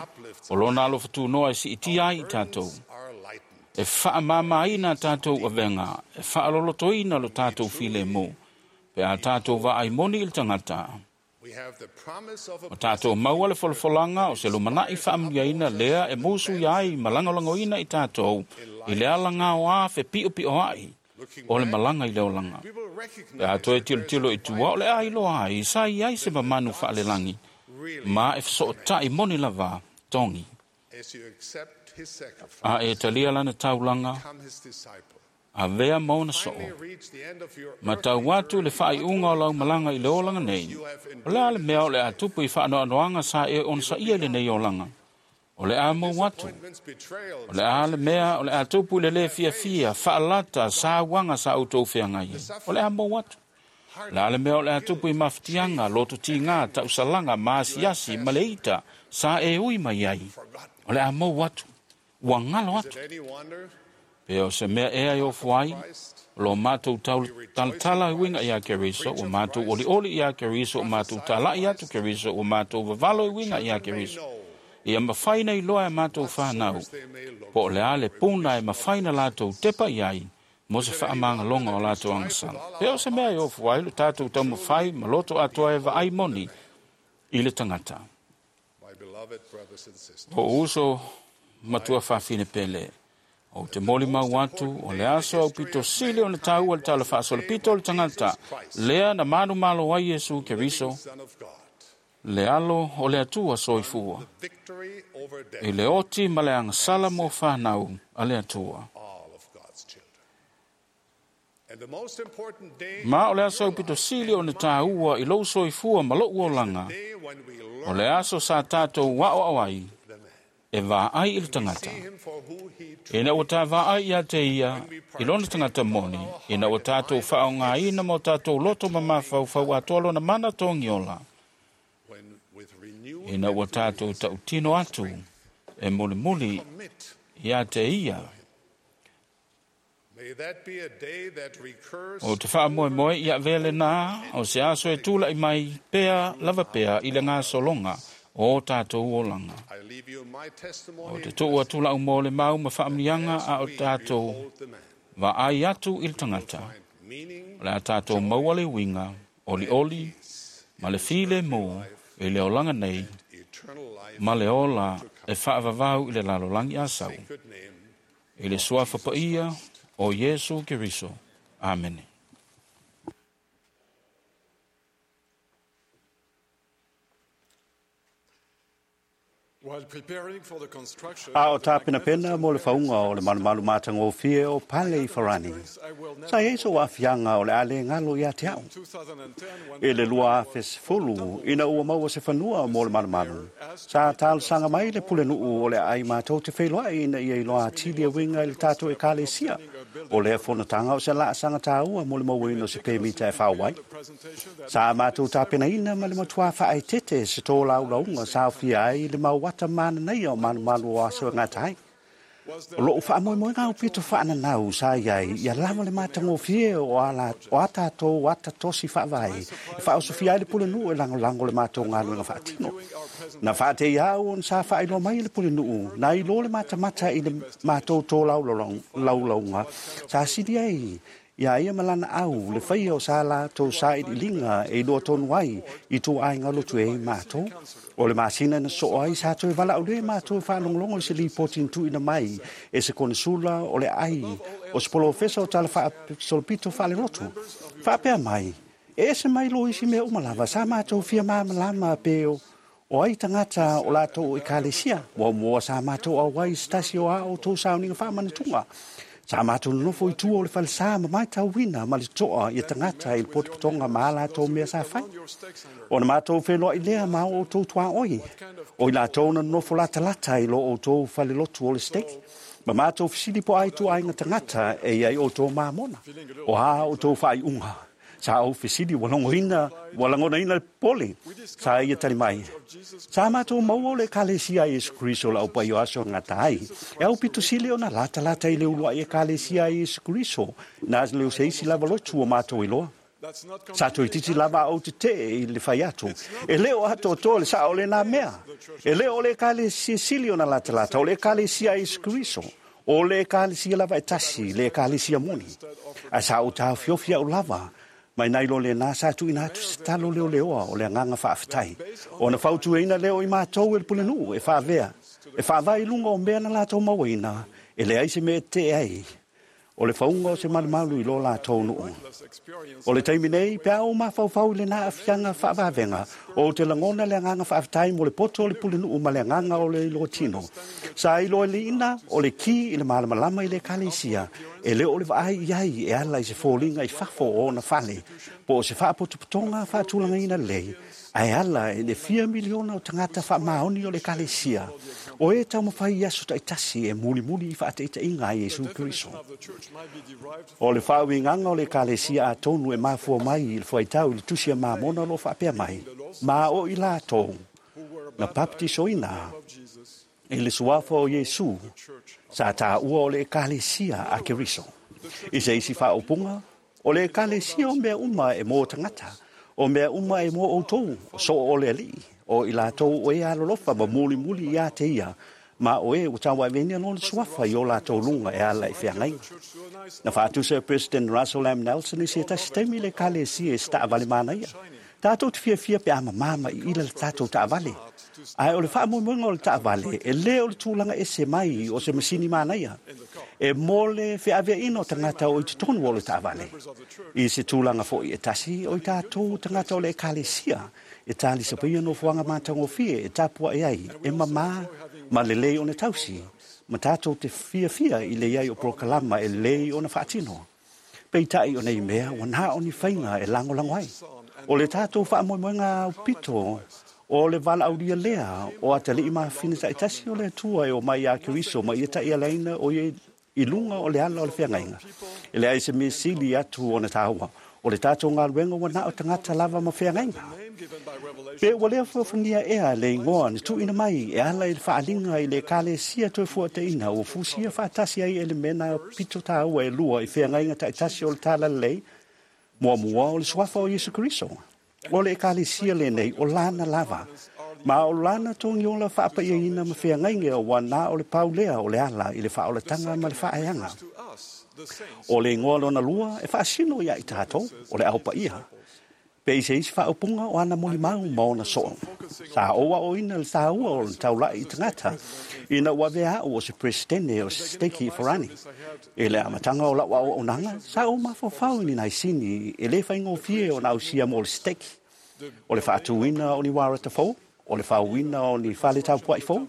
A: O lona alofa tunoa e siitia ai i tatou. E faamamaina tatou avega, e faalolotoina lo tatou filemu. Pe a tatou vaai moni i le tagata, O tātou maua le folafolanga o se lumanai whaamliaina lea e musu iai malangolagoina i tātou i le alanga o a fe pio pio ai o le malanga i le olanga. E atoe tilo tilo i tua o le ai loa ai sa i ai se mamanu whaalelangi ma e so tai moni lava tongi. A e talia lana taulanga a vea maona soo. Ma tau atu le whaai unga o lau malanga i le olanga nei. O lea le mea o le atupu i whaanoanoanga sa e on sa ia le nei olanga. O le a mau atu. O le a le mea o le atupu i le le fia fia, whaalata sa wanga sa autou whiangai. O le a mau atu. O le a le mea o le atupu i mawhitianga, loto tinga, tausalanga, maasiasi, maleita, sa e ui mai ai. O le a mau atu. Ua ngalo atu. Pe o se mea ea i ofu ai, lo mātou talatala uinga ia Keriso, o mātou oli oli ia Keriso, o mātou talai atu Keriso, o mātou vavalo uinga ia Keriso. Ia mawhaina i loa e mātou whanau, po o le ale puna e mawhaina lātou tepa iai, mo se whaamangalonga o lātou angasala. Pe o se mea i ofu ai, lo tātou taumawhai, maloto atoa e vaai moni i le tangata. O uso matua whawhine pele. O te moli mau atu, o le aso au pito sili o le tau o le tala whaasole pito o le tangata. Lea na manu malo ai Yesu Keriso, le alo o le atua soifua. I le oti ma le angasala mo whanau a le atua. Ma o le aso au pito sili o le tāua i lou soifua ma lou olanga. O le aso sa tātou wao awai, e vā ai i le tangata. Ina o tā vā ai ia te ia, i lona tangata moni, ina o tātou whaonga ina mo tātou loto mamawhau whau atoa lona mana tōngiola. Ina o tātou tautino atu, e muli muli ia te ia. O te whaamoe moe ia vele nā, o se aso e tūla i mai pea lava pea i le ngā solonga o tātou olanga. O te tō atu lau mō le mau ma whaamnianga a o tātou wa ai atu i le tangata. O le a tātou maua le winga, oli oli, ma le file mō i le olanga nei, ma le ola e whaavavau i le lalolangi a sau. I le suafa paia o Yesu Keriso. Amene.
D: A o tāpena pena mo le whaunga o le malumalu mātanga o fie o Pale i Farani. Sa eiso o awhianga o le ale ngalo i a te au. E le lua awhes fulu ina ua maua se whanua mo le malumalu. Sa tālsanga mai le pulenuu o le ai mātou te whailoa ina ia iloa atili a winga i le tātou e kalesia. O lea fonatanga o se laasanga tāua mo le mauina o se pemita e whawai. Sa mātou tāpena ina ma le matua whaetete se tō laulaunga sa awhia ai le mau wata mana nei o malumalu o aso e ngā tai. O loo wha moe ngā upito whaana nau sa iai, ia lava le mātango fie o a tātou ata tosi whaavai. E whaosofia ai le pule nuu e lango lango le mātou ngā luenga whaatino. Na whaate i au on sa whaailoa mai le pule nuu, na ilo le mātamata i le mātou tō laulaunga, sa sili ai. Ia ia malana au, le whaia o sa la tō sa i linga e iloa tonu ai i tō ai ngalotu e mātou. O le masina na so ai sa toe wala o le mātou whaalonglongo i se lipotin tuina mai e se konesula o le ai o se polofesa o tala whaasolopito whaalelotu. Whaapea mai, e se mai lo isi mea umalava, sa mātou fia māmalama peo o ai tangata o lātou i kalesia. Wa mua sa mātou au ai stasi o a o tō sauninga whaamanatunga. Sa mātou nofo i tua o le whalesa ma mai tau wina ma le toa i tangata i le potopotonga ma ala tō mea sa whai. O na mātou whenua i lea ma o tō tua oi. O i la tōna nofo lata lata i lo o tō whalelotu o le steki. Ma mātou fisili po ai tua ai ngā tangata e iai o tō māmona. O ha o tō whai unga. Sa au fisili walongoina, walangonaina le pole. Sa ia tali mai. Sa mātou maua o le kalesia Yesu Kristo la upai o aso ngā tai. E au pito sile o na lata lata i le ulua i e kalesia Yesu Kristo. Nā leo se isi lava lotu o mātou i loa. Sa toi titi lava au te te i le whai atu. E leo ato tō le sa o le nā mea. E leo o le kalesia sili o na lata lata o le kalesia Yesu Kristo. O le kalesia lava e tasi, le kalesia moni. A sa o tā fiofia o lava.
J: Mai nai lo le nā sa tuina atu se talo leo leoa o le anganga faafetai. Ona fautuaina lea o i matou e le pulenuu e faavea, e faavae i luga o mea na latou mauaina, e leai se mea e tetee ai. O le fauga o se malumalu i lo latou nuu. O le taimi nei, pe a ou mafaufau i lena aafiaga faavavega, ou te lagona le agaga faafetai mo le poto o le pulenuu ma le agaga o le iloa tino. Sa iloa liina o le ki i le malamalama i le ekalesia, e le o le vaai i ai e ala i se foliga i fafo o ona fale, po o se faapotopotoga faatulagaina lelei, ae ala i le fia miliona o tagata faamaoni o le ekalesia, o e taumafai i aso taitasi e mulimuli i faataitaiga a Iesu Keriso. O le faauigaga o le ekalesia atonu e mafua mai i le fuaitau i le tusi a Mamona o lo o faapea mai, ma o i latou na papatisoina i le suafa o Iesu sa taua o le ekalesia a Keriso. I se isi faaupuga, o le ekalesia o mea uma e mo tagata, o mea uma e mo outou, o soo o le alii, o i latou o e alolofa ma mulimuli ia te ia, ma o e ua tauaveina lona suafa i o latou luga e ala i feagaiga. Na faatusa e President Russell M. Nelson i se tasi taimi le ekalesia i se taavale manaia. Tatou te fiafia pe a mamā ma iila le tatou taavale. Ae o le faamoemoega o le taavale, e le o le tulaga ese mai o se masini manaia. E mo le feaveaina o tagata o i totonu o le taavale. I se tulaga foi e tasi o i tatou tagata o le ekalesia, e talisapaia nofoaga matagofie e tapuai ai, e mamā ma lelei ona tausi, ma tatou te fiafia i le iai o polokalama e lelei ona faatino. Peitai o nei mea, ua na o ni faiga e lagolago ai. O le tatou faamoemoega aupito, o le valaaulia lea o atalii ma afafine taitasi o le Atua e omai ia Keriso ma ia taialaina o ia i luga o le ala o le feagaiga. E leai se mea sili atu ona taua. O le tatou galuega ua na o tagata lava ma feagaiga. Pe ua lea feofania ea le igoa na tuuina mai e ala i le faaliga i le ekalesia toefuataina ua fusia faatasi ai elemena pito taua e lua i feagaiga taitasi o le talalelei, muamua o le suafa o Iesu Keriso. O le ekalesia lenei o lana lava, ma o lana togiola faapaiaina ma feagaiga ua na o le pau lea o le ala i le faaolataga ma le faaeaga. O le igoa lona lua e faasino ia i tatou, o le aupaia. Pe i se isi faaupuga o ana molimau ma ona soo. Sa ou aoina le taua o le taulai i tagata, ina ua avea au o se presidente o se steki i Farani. I le amataga o lau auaunaga, sa ou mafaufau i ni naisini e le faigofie ona ausia mo le steki. O le faatuina o ni uarata fou, o le fauina o ni fale tapuai fou,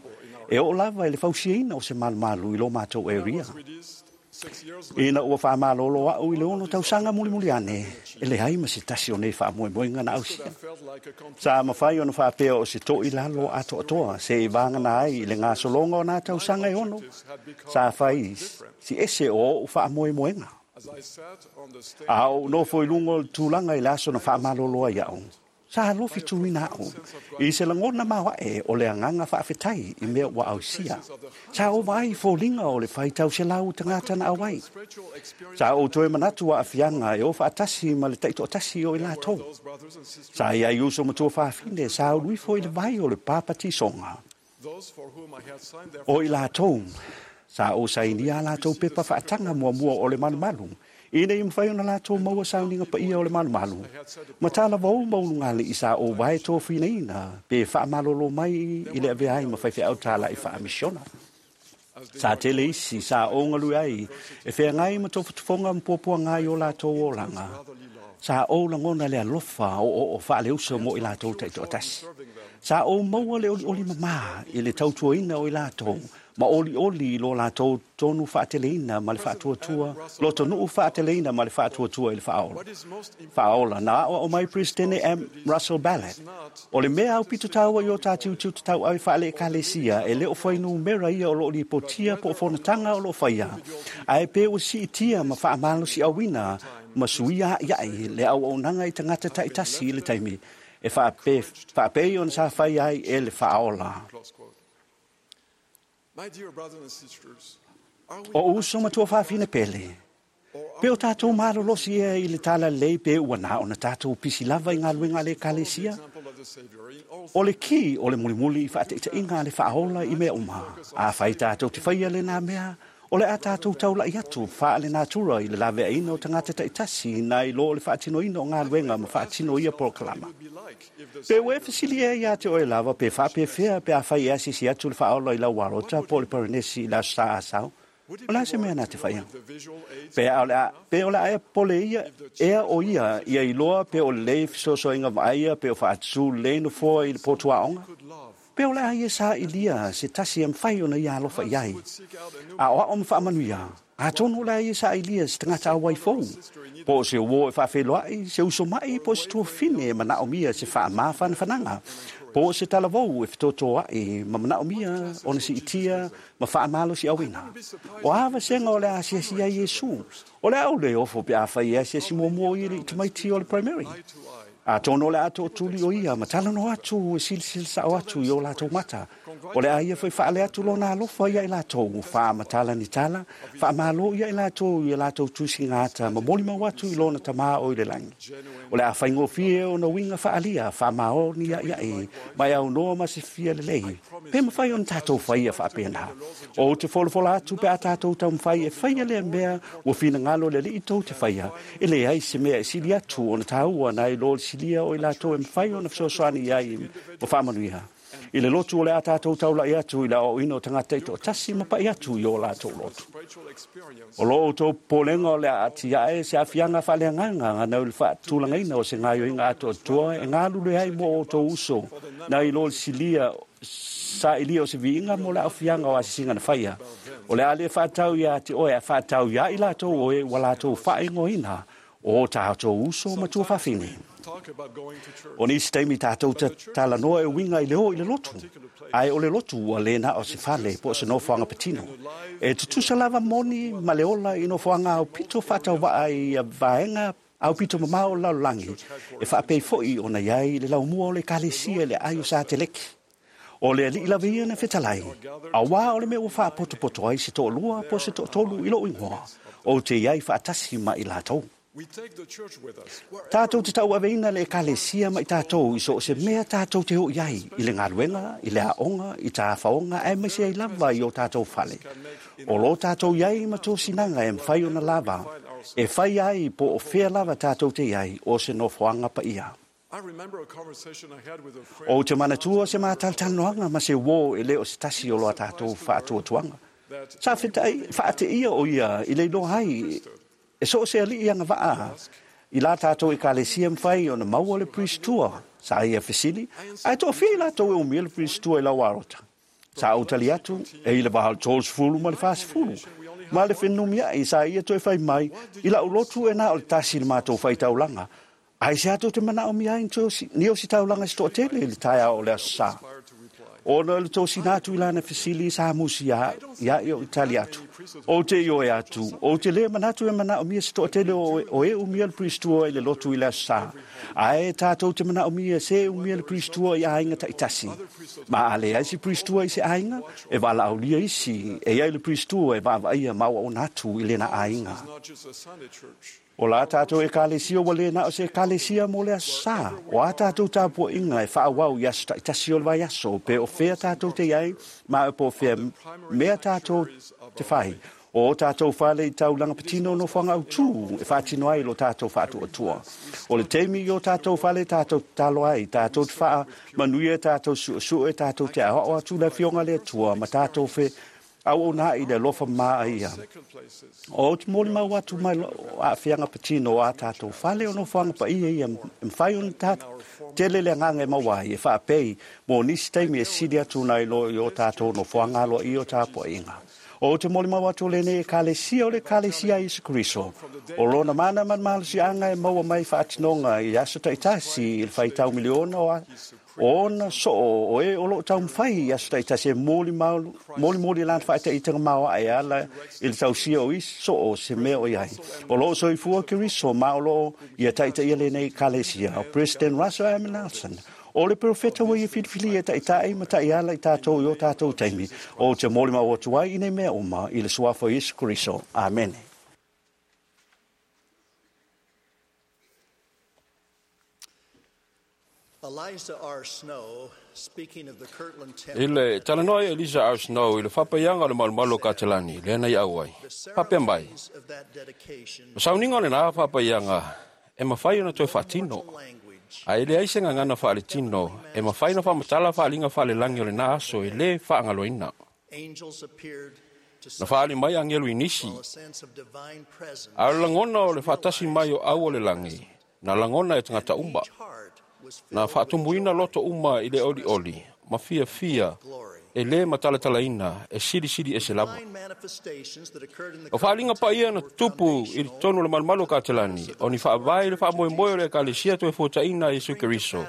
J: e oo lava i le fausiaina o se malumalu i lo matou area. Ina ua faamalolo au i le ono tausaga mulimuli ane, e leai ma se tasi o nei faamoemoega na ausia. Sa mafai ona faapea o se to'i lalo atoatoa se i vagana ai i le gasologa o nā tausaga e ono, sa fai si ese o ou faamoemoega. A ou nofo i luga o le tulaga i le aso na faamalolo ai au, sa alofi tuina au i se lagona maoae o le agaga faafetai i mea ua ausia. Sa ou vaai i foliga o le faitau selau tagata na auai. Sa ou toe manatu aafiaga e o faatasi ma le taitoatasi o i latou. Sa iai uso ma tuafafine sa ulu ifo i le vai o le papatisoga. O i latou, sa ou sainia a latou pepa faataga muamua o le malumalu, ina ia mafai ona latou maua sauniga paia o le malumalu. Ma talavou ma ulugalii sa ou vae tofinaina pe faamalolo mai i le avea ai ma faifeau talai faamisiona. Sa tele isi sa ou galue ai e feagai ma tofotofoga ma puapuaga i o latou olaga. Sa ou lagona le alofa o o o faaleuso mo i latou taitoatasi. Sa ou maua le olioli mamā i le tautuaina o i latou, ma olioli i lo latou tonu faateleina ma le faatuatua, lotonuu faateleina ma le faatuatua i le faaola. Faaola na aoao mai Presidente M. Russell Ballard. O le mea aupito taua i o tātiu tiu tatau ai faale ekalesia e le o fuainumera ia o lo o lipotia po o fonotaga o lo o faia. Ae pe ua siitia ma faamalosiauina ma suia a'ia'i le auaunaga i tagata taitasi i le taimi e faape, faapei ona sa fai ai e le faaola. O uso ma tuafafine pele, pe o tatou malolosi ea i le talalelei pe ua na ona tatou pisi lava i galuega a le ekalesia. O le ki o le mulimuli i faataitaiga a le faaola i mea uma. Afai tatou te faia lenā mea, O le a tātou taulai atu faalenatura i le laveaina o tagata taitasi nai lo o le faatinoina o galuega ma faatino ia polokalama. Pe ua e fesili ea iā te oe lava pe faapefea pe afai e asiasi atu le faaola i lau alota po o le Parenesi i le Aso Sa Asau, o le a se mea na te faia? Pe a o le a, pe o le a e pole ia, ea o ia, ia iloa pe o lelei fesoasoainga vaaia pe o faatutu lelei nofoa i le potuaoga? Pe o le a ia sa'ilia se tasi e mafai ona ia alofa i ai. A o a'o ma faamanuia, atonu o le a ia sa'ilia se tagata auai fou, po o se uō e faafeiloa'i, se uso ma'i po o se tuafine e manaʻomia se faamāfanafanaga, po o se talavou e fetotoa'i ma manaʻomia ona si'itia ma faamalosi'auina. O a vasega o le a asiasi ai Iesu, o le a ou lē ofo pe afai e asiasi muamua o ia i le tamaiti o le primary. Atonu o le a to'atuli o ia ma talanoa atu e silasila sa'o atu i o latou mata. O le a ia foi faale atu lona alofa ia i latou, faamatala ni tala, faamālō ia i latou i a latou tusigata ma molimau atu i lona tamā o i le lagi. O le a faigofie ona uiga faaalia, faamaoni a'ia'i, ma e aunoa ma se fia lelei. Pe mafai ona tatou faia faapena. Ou te folafola atu pe a tatou taumafai e faia lea mea ua finagalo le Alii tou te faia, e leai se mea e sili atu ona tāua nai lo le silia o i latou e mafai ona fesoasoani i ai ma faamanuia. I le lotu o le a tātou taulai atu i le aoaoina o tagata taitoatasi ma pa'i atu i o latou lotu. O lo outou popolega o le a atiae se aafiaga faaleagaga nau i le faatulagaina o se gaoioiga atoatoa e galulue ai mo outou uso nai lo le silia sa'ilia o se viiga mo le aafiaga o asisiga na faia. O le a le faatau iā te oe a faatau iā i latou o e ua latou faaigoaina o tātou uso ma tuafafine. O nisi taimi tātou talanoa e uiga i le o i le lotu, ae o le lotu ua lē na o se fale po o se nofoaga patino. E tutusa lava moni ma le ola i nofoaga aupito faatauva'a i vaega aupito mamao o le lalolagi, e faapei fo'i ona i ai le laumua o le Ekalesia i le aai o Sateleki. O le Alii lava ia na fetalai, auā o le mea ua faapotopoto ai se to'alua po o se to'atolu i lo'u igoa, ou te i ai faatasi ma i latou. Tātou te tauaveina le Ekalesia ma i tātou i so o se mea tātou te oo i ai, i le galuega, i le aoga, i tāfaoga aemaise ai lava i o tātou fale. O lō tātou i ai ma tosinaga e mafai ona lava, e fai ai po o fea lava tātou te i ai o se nofoaga paia. Ou te manatua se mātalatalanoaga ma se uō e lē o se tasi o lo tātou faatuatuaga. Sa fetai faateia o ia i le iloa ai e so o se ali'i agava'a i la tātou Ekalesia mafai ona maua le pristua. Sa ia fesili, ae to'afia i latou e umia le pristua i lau alota. Sa ou tali atu, e i le va o le tolusefulu ma le fasefulu. Ma le fenumia'i sa ia toe fai mai, i la'u lotu e na o le tasi le matou faitaulaga. Ae se atu te manaʻomia ai ni o si taulaga se to'atele i le taeao o le Aso Sa. Ona o le tosina atu i lana fesili sa musi ia i o i tali atu. Ou te ioe atu, ou te lē manatu e manaʻomia se to'atele o e umia le pristua i le lotu i le Aso Sa. Ae tātou te manaʻomia se e umia le pristua i aiga taitasi. Ma a leai se pristua i se aiga, e valaaulia isi, e iai le pristua e vaavaaia ma auauna atu i lena aiga. O la tātou Ekalesia ua lē na o se Ekalesia mo le Aso Sa. O a tātou tapua'iga e fa'aauau i aso ta'itasi o le vaiaso, pe o fea tātou te i ai, ma e po o fea mea tātou te fai. O o tātou fale i taulaga patino nofoaga autū e faatino ai lo tātou faatuatua. O le taimi i o tātou fale tātou tatalo ai, tātou te faamanuia, tātou su'esu'e, tātou te aoao atu le Afioga le Atua ma tātou fe auauna i le alofa ma ia. O te molimau atu mai aafiaga patino o a tātou fale o nofoaga paia ia e mafai ona tā tele le agaga e maua ai e faapei mo nisi taimi e sili atu nai lo i o tātou nofoaga aloaia o tapua'iga. O te molimau atu o lenei Ekalesia o le Ekalesia a Iesu Keriso. O lona mana ma le malosi'aga e maua mai faatinoga i aso ta'itasi i le faitau miliona o ona so'o o e o lo'o taumafai i aso ta'itasi e molimoli i lana fa'ataitaga maoa'e e ala i le tausia o isi so'o se mea o i ai. O lo'o soifua Keriso ma o lo'o ia ta'itaia lenei Ekalesia. O President Russell M. Nelson, o le perofeta ua ia filifilia e ta'ita'i ma ta'iala i tātou i o tātou taimi. O te molimau atu ai i nei mea uma i le suafa o Iesu Keriso. Amene.
K: Eliza R. Snow, speaking of the Kirtland Temple,
L: I le talanoa ai Eliza R. Snow i le faapaiaga o le malumalu o Katelani, lea na i au ai. Faapea mai,
K: of that dedication,
L: o sauniga o lenā faapaiaga e mafai ona toe faatino. Ae leai se gagana faaletino e mafai ona faamatala faaliga faalelagi o lenā aso e lē faagaloina.
K: angels appeared to
L: Na faali mai agelu i nisi,
K: a sense of divine presence
L: a o le lagona o le faatasi mai o au o le lagi, na lagona e tagata uma. Na faatumuina loto uma i le olioli, ma fiafia e lē matalatalaina e silisili ese lava.
K: manifestations that occurred in the
L: O faaliga paia na tupu i totonu o le malumalu o Katelani, o ni faavae i le faamoemoe o le Ekalesia toe fuataina e Iesu Keriso,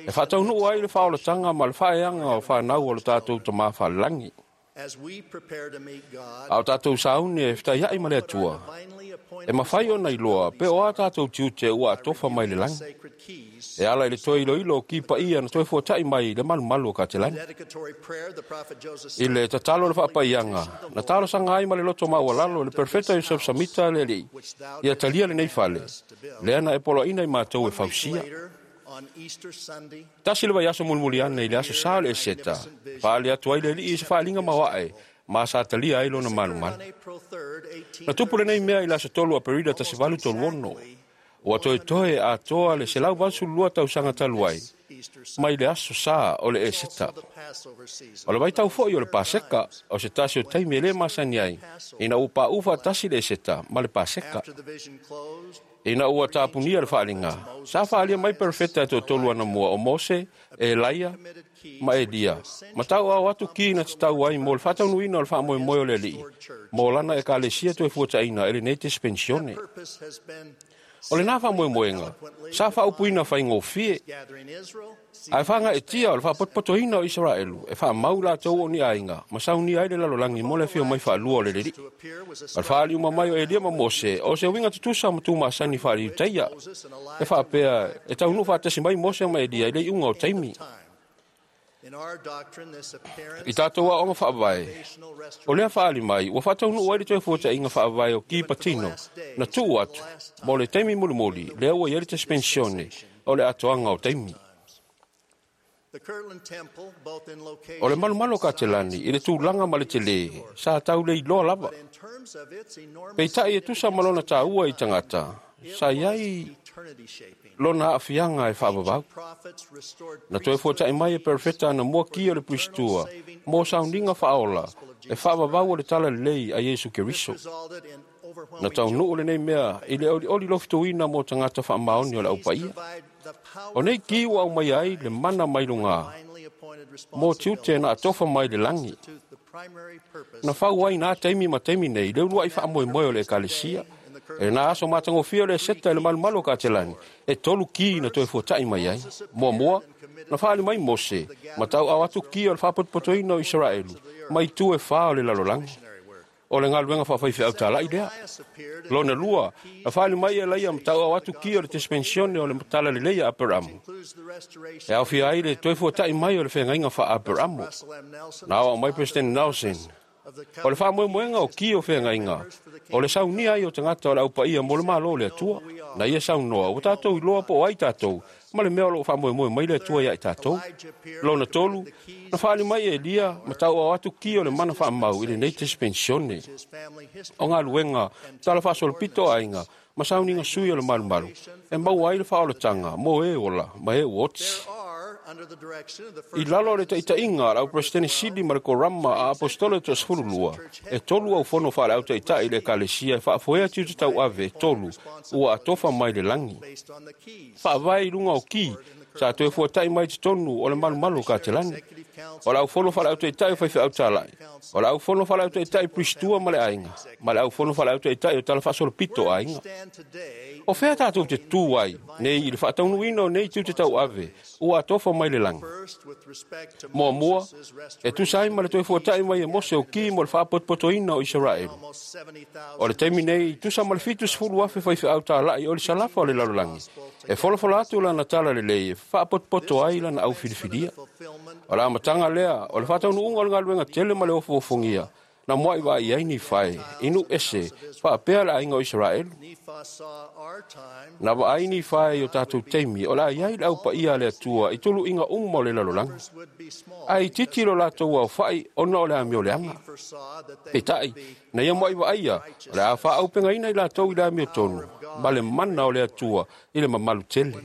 L: e faataunuu ai le faaolataga ma le faaeaga o fanau o le tatou tamā faalelagi.
K: as we prepare to meet God,
L: A o tatou sauni e fetaiai ma le Atua, e mafai ona iloa pe o a tatou tiute ua atofa mai le lagi.
K: sacred keys,
L: E ala i le toe iloilo o ki paia na toe fuatai mai le malumalu o Katelani.
K: dedicatory prayer, the prophet Joseph
L: I le tatalo o le faapaiaga, na talosaga ai ma le loto maualalo le perfeta Yosef Samita le alii, ia talia lenei fale, lea na e poloaina i matou e fausia.
K: on Easter Sunday,
L: Tasi le vaiaso mulimuli ane i le aso sa o le Eseta, faali atu ai le alii i se faaliga maoae, ma sa talia ai lona malumalu.
K: April third, eighteen
L: Na tupu lenei mea i le aso tolu Aperila tasi valu tolu ono, ua toetoe atoa le selau valusefulu lua tausaga talu ai, mai le aso sa o le Eseta.
K: Passover season.
L: O le vaitau foi o le Paseka, o se tasi o taimi e lē masani ai, ina ua paʻu faatasi le Eseta ma le Paseka.
K: After the vision closed,
L: Ina ua tapunia le faaliga, sa faalia mai perfeta e toatolu anamua o Mose, Elaia ma Elia. Ma tauao atu ki na tatau ai mo le faataunuuina o le faamoemoe o le alii, mo lana ekalesia toe fuataina e lenei tespensione.
K: purpose has been
L: O lenā faamoemoega, sa faaupuina faigofie,
K: gathering Israel,
L: ae faagaetia o le faapotopotoina o Isaraelu e faamau latou o ni aiga ma saunia ai le lalolagi mo le afio mai faalua o le lelii. O le faaliuma mai o Elia ma Mose, o se uiga tutusa ma tumasani faaliutaia. E faapea e taunuu faatasi mai Mose ma Elia i le iuga o taimi.
K: In our doctrine, this appearance
L: I tatou aoga faavae, o lea faali mai, ua faataunuu ai le toe fuataiga faavae o ki patino, na tuu atu, mo le taimi mulimuli, lea ua i ai le tespensione o le atoaga o taimi.
K: The Kirtland Temple, both in location
L: O le malumalu o Katelani, i le tulaga ma le telē, sa tau le iloa lava.
K: in terms of its enormous
L: Peitai e tusa ma lona tāua i tagata, sa i ai
K: eternity shaping.
L: lona aafiaga e faavavau.
K: Prophets restored
L: Na toe fuata'i mai e perfeta ana mua ki o le puisitua, mo sauniga faaola, e faavavau o le tala lelei a Iesu Keriso.
K: resulted in
L: Na taunuu lenei mea i le olioli lofitoina mo tagata faamaoni o le aupaia. O nei ki ua aumai ai le mana mai lugā, mo tiute na atofa mai le lagi.
K: the primary purpose
L: Na fau ai nā taimi ma taimi nei, le uluai faamoemoe o le ekalesia. E nā aso matagofie o le Eseta i le malumalu o Katelani, e tolu ki na toe fuata'i mai ai. Muamua, na faali mai Mose, ma tauao atu ki o le faapotopotoina o Isaraelu, mai tu e whā o le lalolagi. O le galuega faafaifeau tala'i lea. Lona lua, na faali mai e laia ma tauao atu ki o le tespensione o le tala lelei a Aperamu. E aofia ai le toe fuata'i mai o le feagaiga faa-Aperamu. Na ao mai President Nelson, o le faamoemoega o ki o feagaiga, o le saunia ai o tagata o le aupaia mo le malo o le Atua. Na ia saunoa, ua tatou iloa po o ai tatou, ma le mea o loo faamoemoe mai le Atua ia i tatou. Lona tolu, na faali mai e Elia ma tauao atu ki o le mana faamau i lenei tespensione. O galuega, tala faasolopito aiga, ma sauniga sui o le malumalu, e maua ai le faaolataga mo e ola ma e ua oti.
K: under the direction of the
L: I lalo o le taitaiga a le auperesetene sili ma le korama a apostolo e toasefulu lua, e tolu au fono faaleautaita'i i le ekalesia e faafoea tiute tauave e tolu ua atofa mai le lagi. Faavae i luga o ki, sa toe fuata'i mai totonu o le malumalu o Katelani. O le aufono faaleautaita'i o faifeau tala'i, o le aufono faaleautaita'i puisitua ma le aiga, ma le aufono faaleautaita'i o tala faasolopito o aiga. O fea tatou te tū ai, nei i le faataunuuina o nei tiute tauave, ua atofa mai le lagi. Muamua, e tusa ai ma le toe fuata'i mai e Mose o ki mo le faapotopotoina o Isaraelu. O le taimi nei, tusa ma le fitusefulu afe faifeau tala'i o le salafa o le lalolagi, e folafola atu lana tala lelei e faapotopoto ai lana aufilifilia. O le amataga lea, o le faataunuuga o le galuega tele ma le ofuofugia, Na mua'i vaai ai Nifae i nu'u ese fa'apea le aiga o Isaraelu. Na vaai Nifae i o tatou taimi o le a iai le aupaia a le Atua i tulu'iga uma o le lalolagi. Ae itiiti lo latou aofa'i ona o le amioleaga. Peita'i, na ia mua'i va'aia o le a fa'aaupegaina i latou i le amiotonu ma le mana o le Atua i le mamalu tele.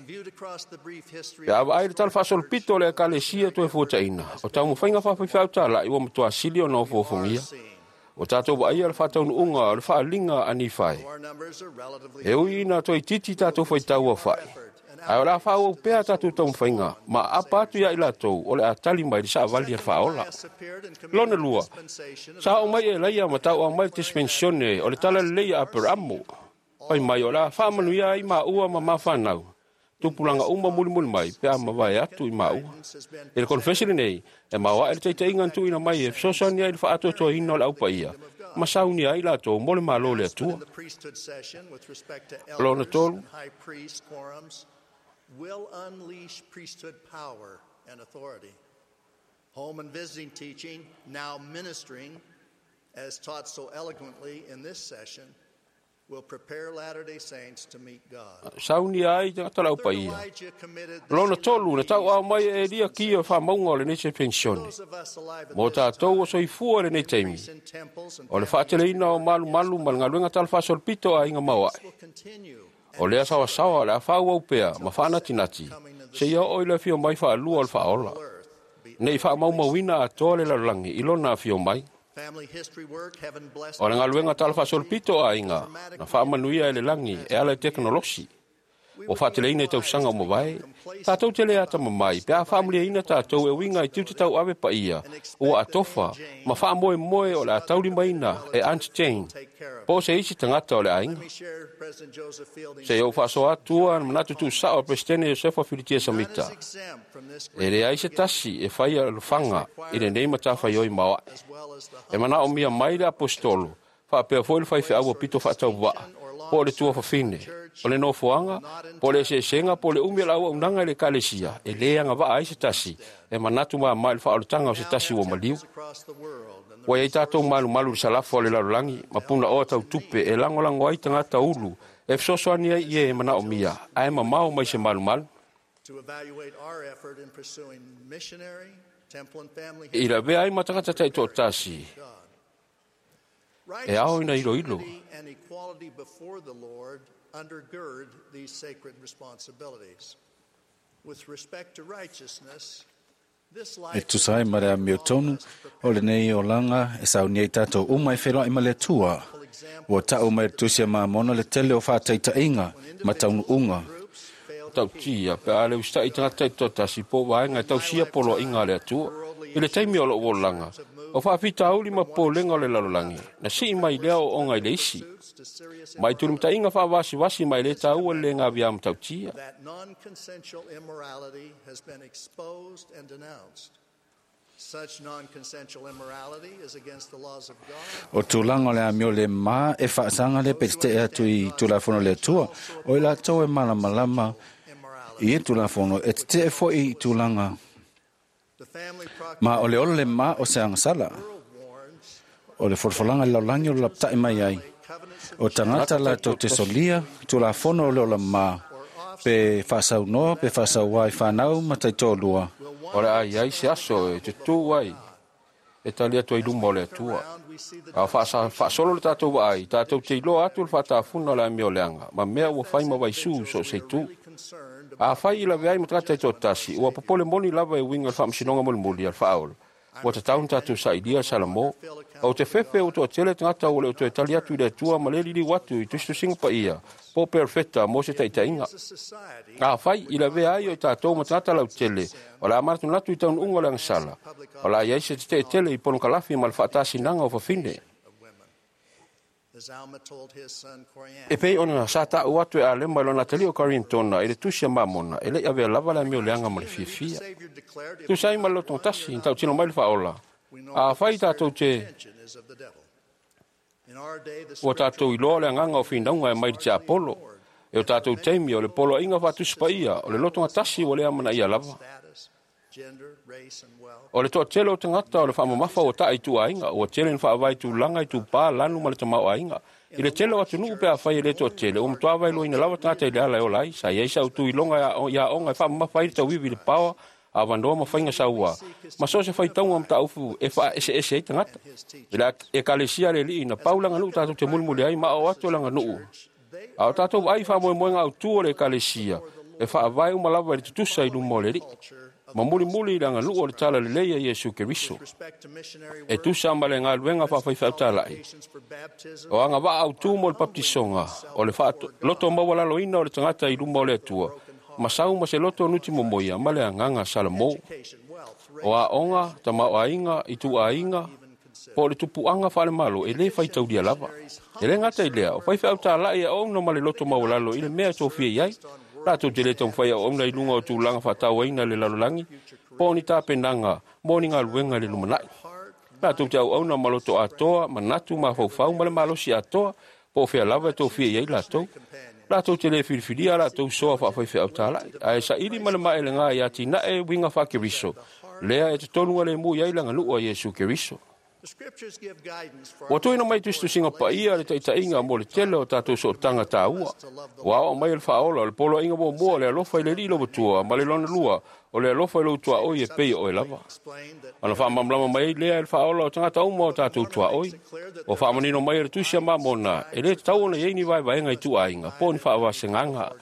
L: Pe a vaai le tala fa'asolopito o le Ekalesia toe fuata'ina, o taumafaiga fa'afaifeau tala'i ua matuā sili ona ofoofogīa. Ua tatou va'aia le fa'ataunu'uga o le fa'aliga a Nifae. E ui ina toeitiiti tatou faitau aofa'i, ae o le a fa'aauau pea tatou taumafaiga ma aapa atu iā i latou o le a tali mai le sa'avali a le fa'aola. Lona lua, sa oo mai Elaia ma tau'au mai le dispensione o le tala lelei a Aperamo. Fai mai o le a fa'amanuia ai ma'ua ma mafanau, tupulaga uma mulimuli mai pe a mavae atu i ma'ua. I le konefesi lenei, e maoaʻe le taitaʻiga na tuuina mai e fesoasoani ai i le fa'atoatoaina o le aupaia ma saunia ai latou mo le Malo o le Atua. Lona tolu,
K: will unleash priesthood power and authority. Home and visiting teaching, now ministering, as taught so eloquently in this session, will prepare Latter-day Saints to meet God.
L: Saunia ai tagata le aupaia. Lona tolu, na tau'ao mai e Elia kia o fa'amauga o lenei se pensione. Mo tatou o soifua i lenei taimi, o le fa'ateleina o malumalu ma le galuega tala fa'asolopito a aiga maoa'e. O lea saoasaoa o le a fa'auau pea ma fa'anatinati, seia oo i le afio mai fa'alua o le fa'aola. Nei fa'amaumauina atoa le lalolagi i lona afio mai. O le galuega tala fa'asolopito a aiga, na fa'amanuia e le lagi e ala i tekonolosi. Ua fa'ateleina i tausaga o mavae, tatou te lē atamamai pe a fa'amuliaina tatou e uiga i tiute tau'ave paia ua atofa ma fa'amoemoe o le a taulimaina e Aunt Jane po o se isi tagata o le aiga. Seia ou fa'asoa atua na manatu tu'usa'o a Peresetene Iosefa Filitia Samita. E leai se tasi e faia alofaga i lenei matafaioi maoa'e. E mana'omia mai le aposetolo, fa'apea foi le faife'au pito fa'atauva'a, po o le tuafafine, o le nofoaga, po o le eseesega, po o le umi o le auaunaga i le Ekalesia, e lē agava'a ai se tasi e manatu mamā i le fa'aolataga o se tasi ua maliu. Ua iai tatou malumalu i le salafa o le lalolagi ma puna'oa tautupe e lagolago ai tagata ulu e fesoasoani ai i e mana'omia, ae mamao mai se malumalu. I lavea ai ma tagata ta'ito'atasi e ao ina iloilo.
K: And equality before the Lord undergird these sacred responsibilities. With respect to righteousness, this
A: E
K: life
A: tusa ai ma le amiotonu o lenei olaga e saunia ai tatou uma e feloa'i ma le Atua. Ua ta'u mai le tusi a Mamona le tele o fa'ataita'iga ma taunu'uga.
L: Ta'utia pe a le usita'i tagata ta'itoatasi po o vaega e tausia poloa'iga a le Atua. I le taimi o lo'u olaga, o fa'afitauli ma popolega o le lalolagi, na si'i mai lea o'ooga i le isi. Ma i tulimata'iga fa'avasivasi ma e lē tāua le lē gaviā matautia.
K: that non-consensual immorality has been exposed and denounced. Such non-consensual immorality is against the laws of God.
A: O tulaga o le amio le mā e fa'asaga le pe te'e atu i tulafono le Atua, o i latou e malamalama i e tulafono e tete'e fo'i i tulaga. Ma o le ola le mā o se agasala. O le folafolaga i le lalolagi o le lapata'i mai ai. O tagata latou te solia tulafono o le ola mā, pe fa'asaunoa pe fa'asauā i fanau ma taitoalua.
L: O le a iai se aso e tutū ai e tali atu ai luma o le Atua. A fa'asa- fa'asolo le tatou va'ai, tatou te iloa atu le fa'atafuna o le amioleaga, ma mea ua fai ma vaisū so o se itū. A fai i lavea ai ma tagata ta'itoatasi, ua popole moni lava e uiga i le fa'amasinoga mulimuli a le fa'aola. Ua tatau ona tatou sa'ilia le Salamo. O te fefe ua to'atele tagata ua le o toe tali atu i le Atua ma le liliu atu i tusitusiga paia po o perofeta mo se ta'ita'iga. A fai i lavea ai o i tatou ma tagata lautele, o le a manatunatu i taunu'uga o le agasala. O le a iai se tete'e tele i ponokalafi ma le fa'atasinaga o fafine.
K: As Alma told his son Coriantumr,
L: E pei ona sa ta'u atu e Alema i lona atalii o Karintona i le tusi a Mamona, e le'i avea lava le amioleaga ma le fiafia. Tusa ai ma le lotogatasi, na ta'utino mai le fa'aola. A fai tatou te
K: is of the devil. In our day, the
L: ua tatou iloa le agaga o finauga e mai le tiapolo. E o tatou taimi o le poloa'iga fa'atusi paia o le lotogatasi ua le amana'ia lava. O le toatele o tagata o le faamamafa ua ta'a i tuuaiga, ua tele ina faavae tulaga i tupā lanu ma le tamaoaiga. I le tele o atunuu pe afai e le toatele, ua matuā vailoaina lava tagata i le ala e ola ai. Sa i ai sau iloga i aoga e faamamafa ai le tauivi i le paoa, avanoa ma faiga sauā, ma so o se faitauga mataupu e faaeseese ai tagata. I le ekalesia a le Alii na pau le aganuu tatou te mulimuli ai ma aao atu o le aganuu. A o tatou vaai i faamoemoega autū o le ekalesia, e faavae uma lava i le tutusa i luma o le Alii, ma mulimuli i le aganuu o le tala lelei a Iesu Keriso. E tusa ma le galuega faafaifeau-talai, o agavaa autū mo le baptisoga, o le faaloto maualaloina o le tagata i luma o le Atua, ma sau ma se loto nuti momoia ma le agaga Salamo. O aoga, tamaoaiga, ituaiga, po o le tupuaga faalemalo e lē faitaulia lava. E lē gata i lea, o faifeau-talai e aoauna ma le loto maualalo i le mea e tofia i ai. Latou te lē taumafai aoauna i luga o tulaga faatauaina i le lalolagi, po o ni tapenaga mo ni galuega i le lumanai. Latou te auauna ma loto atoa, manatu mafaufau ma le malosi atoa, po o fea lava e tofia i ai latou. Latou te lē filifilia latou soa faafaifeau-talai, ae saili ma le maelega i atinae uiga faakeriso, lea e totonu alemu i ai le aganuu a Iesu Keriso. Ua tuuina mai tusitusiga paia le taitaiga mo le tele o tatou sootaga tāua. Ua aoao mai e le faaola o le poloaiga muamua o le alofa i le Alii lou ma le lona lua o le alofa i lou tuaoi e pei o oe lava. Ona faamalamalama mai ai lea e le faaola o tagata uma o tatou tuaoi. Ua faamanino mai e le tusi a Mamona e lē tatau ona i ai ni vaevaega i tuuaiga po o ni faavasegaga.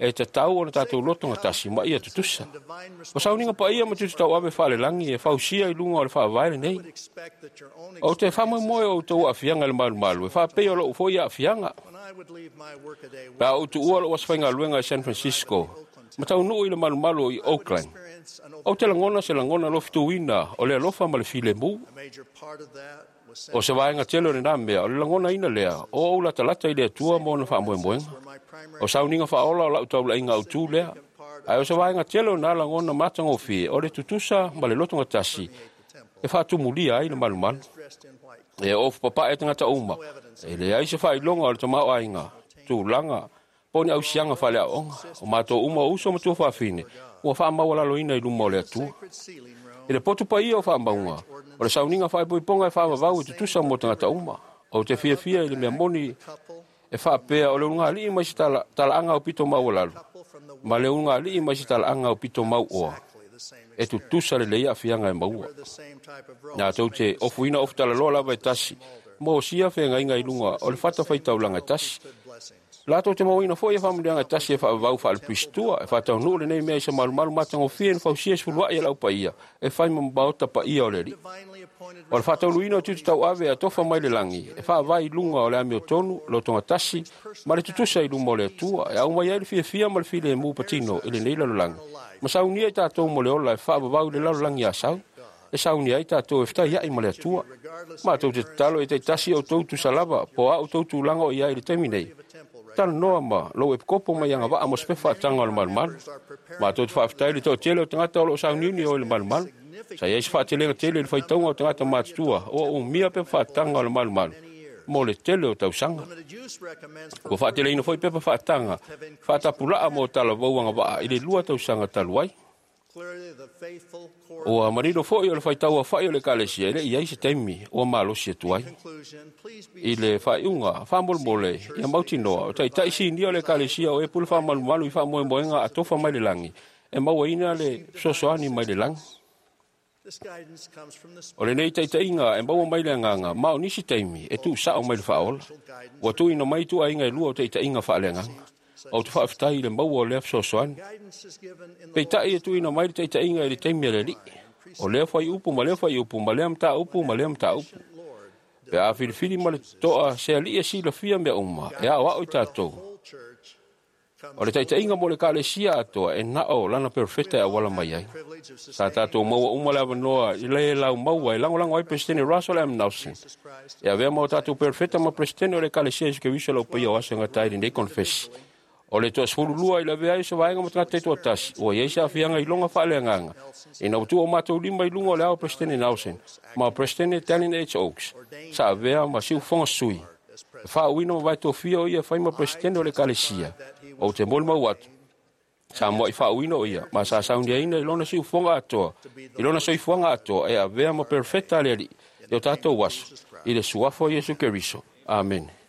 L: E tatau ona tatou loto gatasi ma ia tutusa. O sauniga paia ma tusi tauave faalelagi e fausia i luga o le faavae lenei. Ou te faamoemoe o outou aafiaga i le malumalu e faapei o lou foi aafiaga. Pe a ou tuua lou aso faigaluega i San Francisco, ma taunuu i le malumalu i Oakland, ou te lagona se lagona lofituina o le alofa ma le filemu. O se vaega tele o lenā mea, o le lagonaina lea, o ou latalata i le Atua ma ona faamoemoega. O sauniga faaola o lau taulaiga autū lea. Ae o se vaega tele o nā lagona matagofie o le tutusa ma le lotogatasi e faatumulia ai le malumalu. E ofu papae tagata uma, e leai se faailoga o le tamaoaiga, tulaga, po o ni ausiaga faaleaoga. O matou uma o uso ma tuafafine, ua faamaualaloina i luma o le Atua. I le potu paia o faamauga, o le sauniga faaipoipoga e faavavau e tutusa mo tagata uma. Ou te fiafia i le mea moni e faapea o le ulugalii mai se tala, talaaga o pito maualalo, ma le ulugalii mai se talaaga o pito mauoa, e tutusa lelei aafiaga e maua. Latou te ofuina ofu talaloa lava e tasi, mo sia feagaiga i luga o le fatafaitaulaga e tasi. Latou te mauaina foi e faamanuiaga e tasi e faavavau faalepuisitua, e faataunuu lenei mea i se malumalu matagofie na fausia sefuluai e lau paia, e fai ma maota paia o le Alii. O le faatauluina o tiute tauave e atofa mai le lagi, e faavae i luga o le amiotonu, lotogatasi, ma le tutusa i luma o le Atua, e aumai ai le fiafia ma le filemu patino i lenei lalolagi. Ma saunia i tatou mo le ola e faavavau i le lalolagi a sau, e saunia ai tatou e fetaiai ma le Atua. Matou te tatalo e taitasi outou tusa lava, po o a outou tulaga o i ai i le taimi nei. Talanoa ma lou epikopo mai agavaa mo se pepa faataga o le malumalu. Matou te faafetai i le toatele o tagata o loo sauniuni o i le malumalu. Sa i ai se faatelega tele i le faitauga o tagata matutua o umia pepa faataga o le malumalu mo le tele o tausaga. Ua faateleina foi pepa faataga faatapulaa mo talavou agavaa i le lua tausaga talu ai. Ua manino foi o le faitau afa'i o le ekalesia e le i ai se taimi ua malosi atu ai. I le faaiuga faamolemole ia mautinoa o taitai sinia o le ekalesia o e pule faamalumalu i faamoemoega atofa mai le lagi e mauaina le fesoasoani mai le lagi. O lenei taitaiga e maua mai le agaga ma o nisi taimi e tuusao mai le faaola. Ua tuuina mai tuuaiga e lua o taitaiga faaleagaga. Ou te faafetai i le maua o lea fesoasoani. Peitai e tuuina mai le taitaiga i le taimi a le Alii. O lea faiupu ma lea faiupu ma lea mataupu ma lea mataupu. Pe a filifili ma le toa se alii e silafia mea uma, e aoao i tatou. O le taitaiga mo le ekalesia atoa e nao lana perofeta e auala mai ai. Sa tatou maua uma le avanoa i le lau maua e lagolago ai Peresetene Russell M. Nelson. E avea ma o tatou perofeta ma Peresetene o le ekalesia Iesu Keriso lau paia o aso e gata ai lenei konefesi. O le toasefulu lua i le avea ai o se vaega ma tagata e toatasi, ua i ai se aafiaga i loga faaleagaga. Ina ua tuu o matou lima i luga o le ao Peresetene Nelson ma Peresetene Dallin H. Oaks, sa avea ma siufofoga sui. E faauuina ma vaetofia o ia e fai ma Peresetene o le ekalesia. Ou te molimau atu, Sa moa i faauina o ia, ma sa sauniaina i lona siufoga atoa, i lona soifuaga atoa e avea ma perofeta a le Alii i o tatou aso, i le suafa o Iesu Keriso. Amene.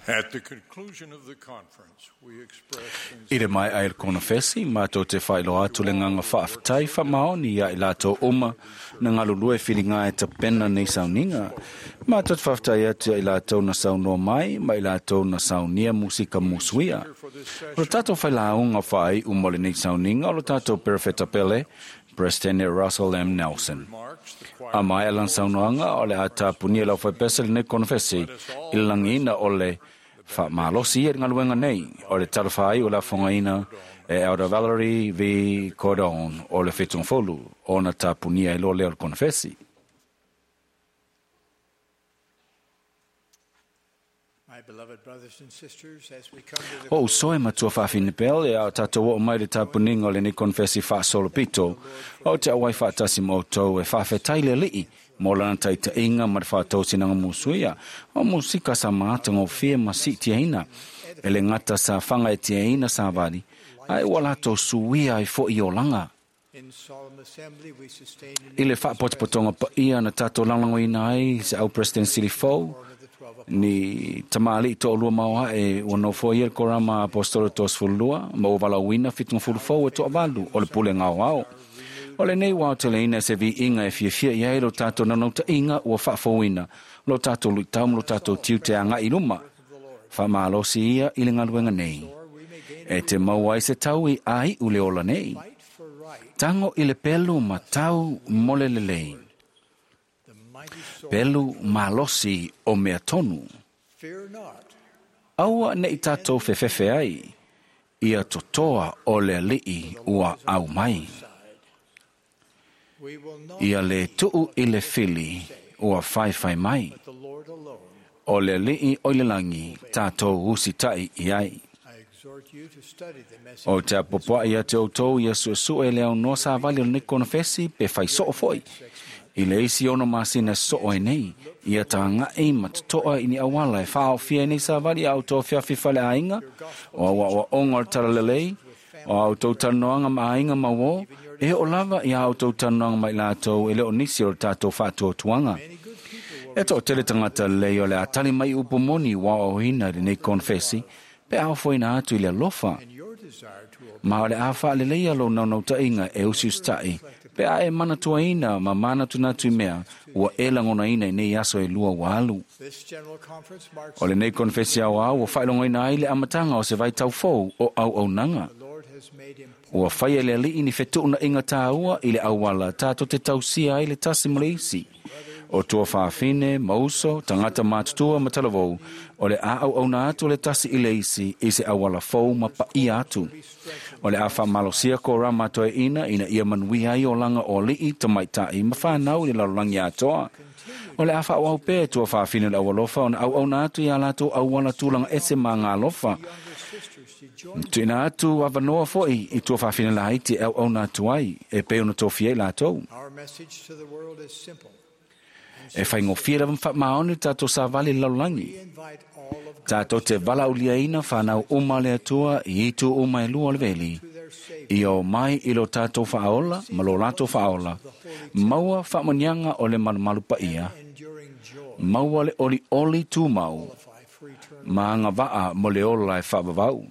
G: At the conclusion of the conference, we express
A: I le mai ai le konofesi, mātou te whailoa atu le nganga whaaftai whamaoni ia i lātou uma na ngalulue whiringa e tapena nei sauninga. Mātou te whaaftai atu ia i lātou na saunoa mai, ma i lātou na saunia musika musuia. O lo tātou whailaunga whai umo le nei sauninga, o lo tātou perofeta pele, President Russell M. Nelson. A mai alan saunoanga o le atapunia lau whaipesa le nei konofesi, i le langina o le whaamalosi e ngaluenga nei, o le talawhai o la whangaina e Elder Valerie V. Cordon o le whitungfolu o na tapunia e lo leo le konofesi. O usoe matua whaafine pele e au tātou o mai le tapuninga o le nei konfesi whaasolopito o te awai whaatasi mōtou e whaafetai le lii mō lana taitainga ma te whaatausinanga musuia o musika sa maatanga o fia ma si tiaina e le ngata sa whanga e tiaina sa wari ai ua lātou suia ai fo i olanga. I le whaapotopotonga pa ia na tātou langlangoina ai se au President Silifou ni tamali to lua maoa e ua nofo ia le korama apostolo tosefululua ma ua valaauina fitugafulufou e toavalu o le pule gaoao. O lenei ua aoteleina se viiga e fiafia i ai lo tatou naunautaiga ua faafouina lo tatou luitau ma lo tatou tiute agai i luma. Faamalosi ia i le galuega nei. E te maua ai se tau i aiu le ola nei. Tago i le pelu ma tau mo le lelei. Pelu malosi o mea tonu. Aua nei tātou fefefe ai, ia totoa o le alii ua au mai. Ia le tuu i le fili ua whaiwhai mai. O le alii o le langi tātou usitai i ai. O te apopoa ia te outou ia suesue le au noa sa vali o le konofesi pe whai soo foi. I le isi ono masina soo e nei, ia tāngai matotoa i ni awala e whaofia nei sa vali au tō whiawhi whale ainga, o awa o onga o talalelei, o au tō tanoanga ma ainga mawo, e o lava i au tō tanoanga mai lātou e leo nisi o tātou whātua tuanga. E tō tele tangata lei o le atali mai upomoni wa o hina i nei konfesi, pe au foina atu i le alofa. Ma o le awha le leia lo naunau tainga e usi ustai, pe a e mana tuaina ma mana tunatu i mea, ua e langona ina i nei aso e lua walu. O le nei konfesi au au, ua whailongoina ai le amatanga o se vai taufou o au au nanga. Ua whai e le alii ni whetuna inga tāua i le awala tātou te tausia ai le tasi mo le isi. O tua whaafine, mauso, tangata mātutua matalavou, o le a au auna atu le tasi i le isi i se awala fou ma pa ia atu. O le a whamalosia ko rā mātoe ina ina ia manui ai o langa o lii tamaitai ma whanau i le larolangi atoa. O le a whaau pē tua whaafine le awalofa o na au auna atu i a lātou awala tūlanga ese mā ngā alofa. Tuina atu awanoa foi i tua whaafine la haiti au auna atu ai e pe ona tōfia i lātou. E whaingofia lava mwha tātou sa vali lalulangi. Tātou te vala uliaina whanau uma le atua i itu uma e lua le veli. I o mai i lo tātou whaola, ma lo lātou whaola. Maua whaamanianga o le malumalu paia. Maua le oli oli tūmau. Maanga waa mo le ola e whaavavau.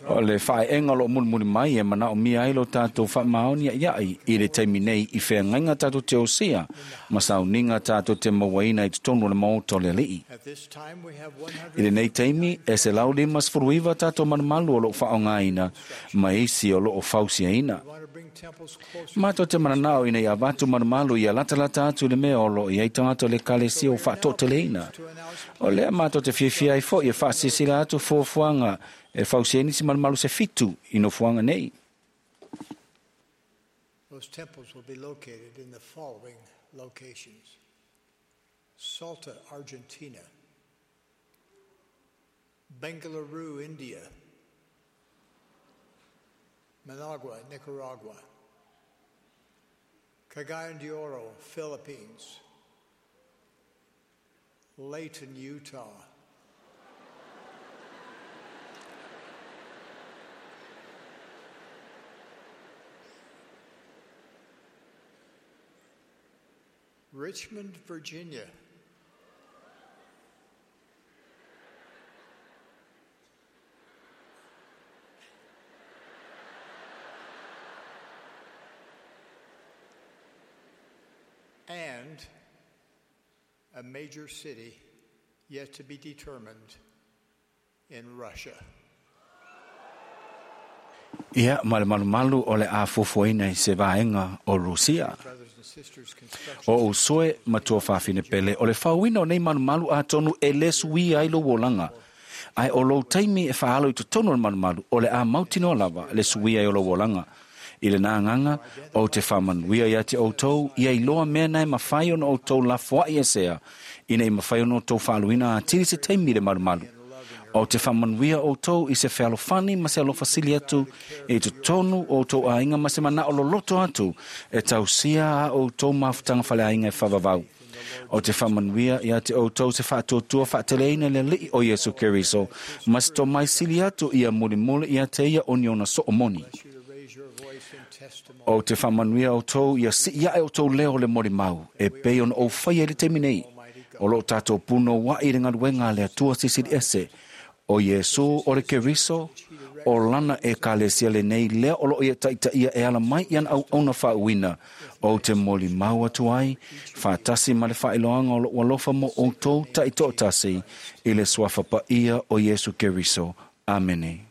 A: O le whaenga lo mulimuli mai e mana o mia ai lo tātou whaamaoni iai i le taimi nei i wheangainga tātou te osia ma sauninga tātou te mawaina i totonu le maoto le alii. I le nei taimi e se lau lima sfuruiva tātou manumalu o loo whaongaina ma isi o loo fausiaina. Mātou te mananao ina ia vatu manumalu ia latalata atu le mea o loo i ai tangata le kalesia o whaatoteleina. O lea mātou te fiafia ai fo i e whaasisila atu fuafuaga e fausiaina si malumalu se fitu i nofoaga nei.
C: Those temples will be located in the following locations: Salta, Argentina; Bengaluru, India; Managua, Nicaragua; Cagayan de Oro, Philippines; Layton, Utah; Richmond, Virginia; and a major city yet to be determined in Russia.
A: Ia ma le malumalu o le a fuafuaina i se vaega o Rusia. O usoe matua whawhine pele o le whauina o nei malumalu a tonu e le sui ai lo wolanga. Ai o lou taimi e whaalo i totonu o le malumalu o le a mautinoa lava le sui ai o lo wolanga. I le nānganga o te whamanuia ia te outou ia i loa mea nei mawhai ona outou lafoai e sea ina i mawhai ona outou whaaluina a tiri se taimi le malumalu. O te whamanuia outou i se whealofani ma se alofasili atu e totonu o outou ainga ma se mana o loloto atu e tausia a outou mafutanga whale ainga e whavavau. O te whamanuia ia te outou se whaatuatua whaateleina le alii o Iesu Keriso ma se tō mai sili atu ia mulimuli ia te ia o niona soomoni. O te whamanuia outou ia si ia e outou leo le morimau e pei ona o whai e le teimi nei. O lo tātou puno wa i le ngaluenga le atua sisili ese o Iesu o le Keriso o lana e kalesia le nei lea o loo ia taitaia e ala mai ian au auna faauina o te moli mau atu ai faatasi ma le faailoaga o loo alofa mo outou taitoatasi i le suafa paia o Iesu Keriso. Amene.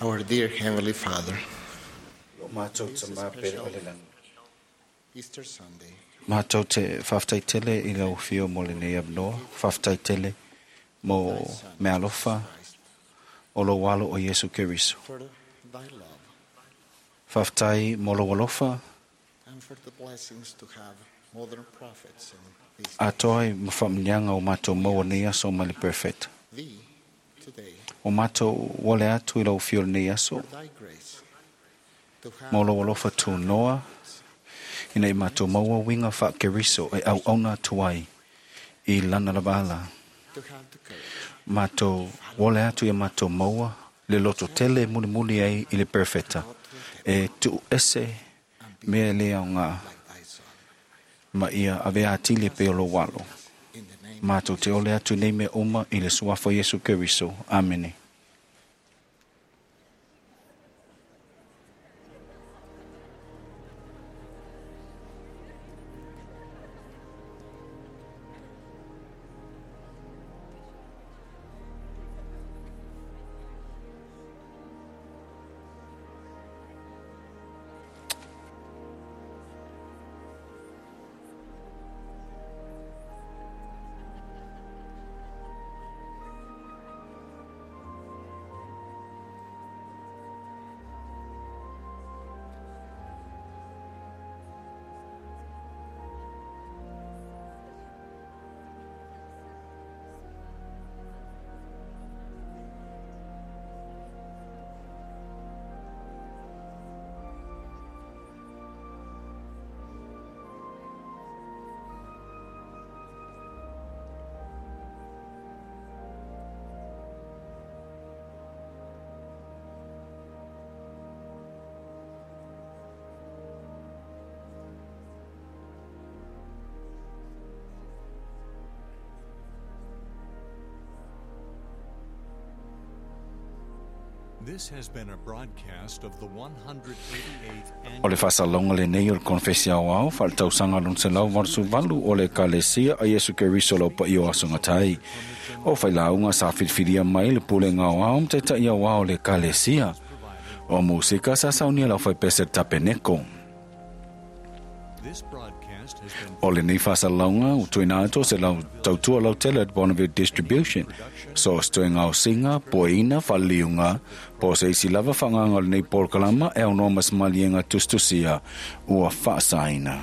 M: Our dear Heavenly Father,
A: Lo mātou te māpere o le langi.
M: Easter Sunday,
A: Mātou te whaftai tele i lau whio mo le nei abnoa, whaftai tele mo me alofa o lo walo o Yesu Keriso.
M: for thy love
A: Whaftai mo lo alofa
M: and for the blessings to have modern prophets and these
A: a toai mawhamnyanga o mātou maua nei aso mai le perfect.
M: thee today,
A: O mātou wale atu i lau whio le nei aso
M: for thy grace to have
A: mo lo alofa tū noa ina i mātou maua winga wha Keriso e au auna tuai i lana lavala.
M: to have the courage
A: Mātou wale atu ia mātou maua le loto tele muli muli ai i le perfecta. E tu ese mea le au ngā ma ia ave atili pe o lo walo. Mātou te ole atu nei me uma i le suafa Yesu Keriso. Amene.
B: This has been a broadcast of the one hundred eighty-eighth
A: O le whasalonga le nei o le konfesia o au, whaletausaga lona selau valu valu o le Ekalesia a Yesu Keriso lau pa i o aso ngatai. O whailāunga sa whiriwhiria mai le pulenga o au mtaitai au au le Ekalesia. O musika sa saunia lau whaipese tapeneko.
B: This broadcast has been
A: O le nei whasalonga o tuina ato se lau tautua lau tele at Bonneville Distribution. So stoe ngau singa, poeina, whaliunga, po se isi lava whanganga o le nei polokalama e au noa masmalienga tustusia ua whaasaina.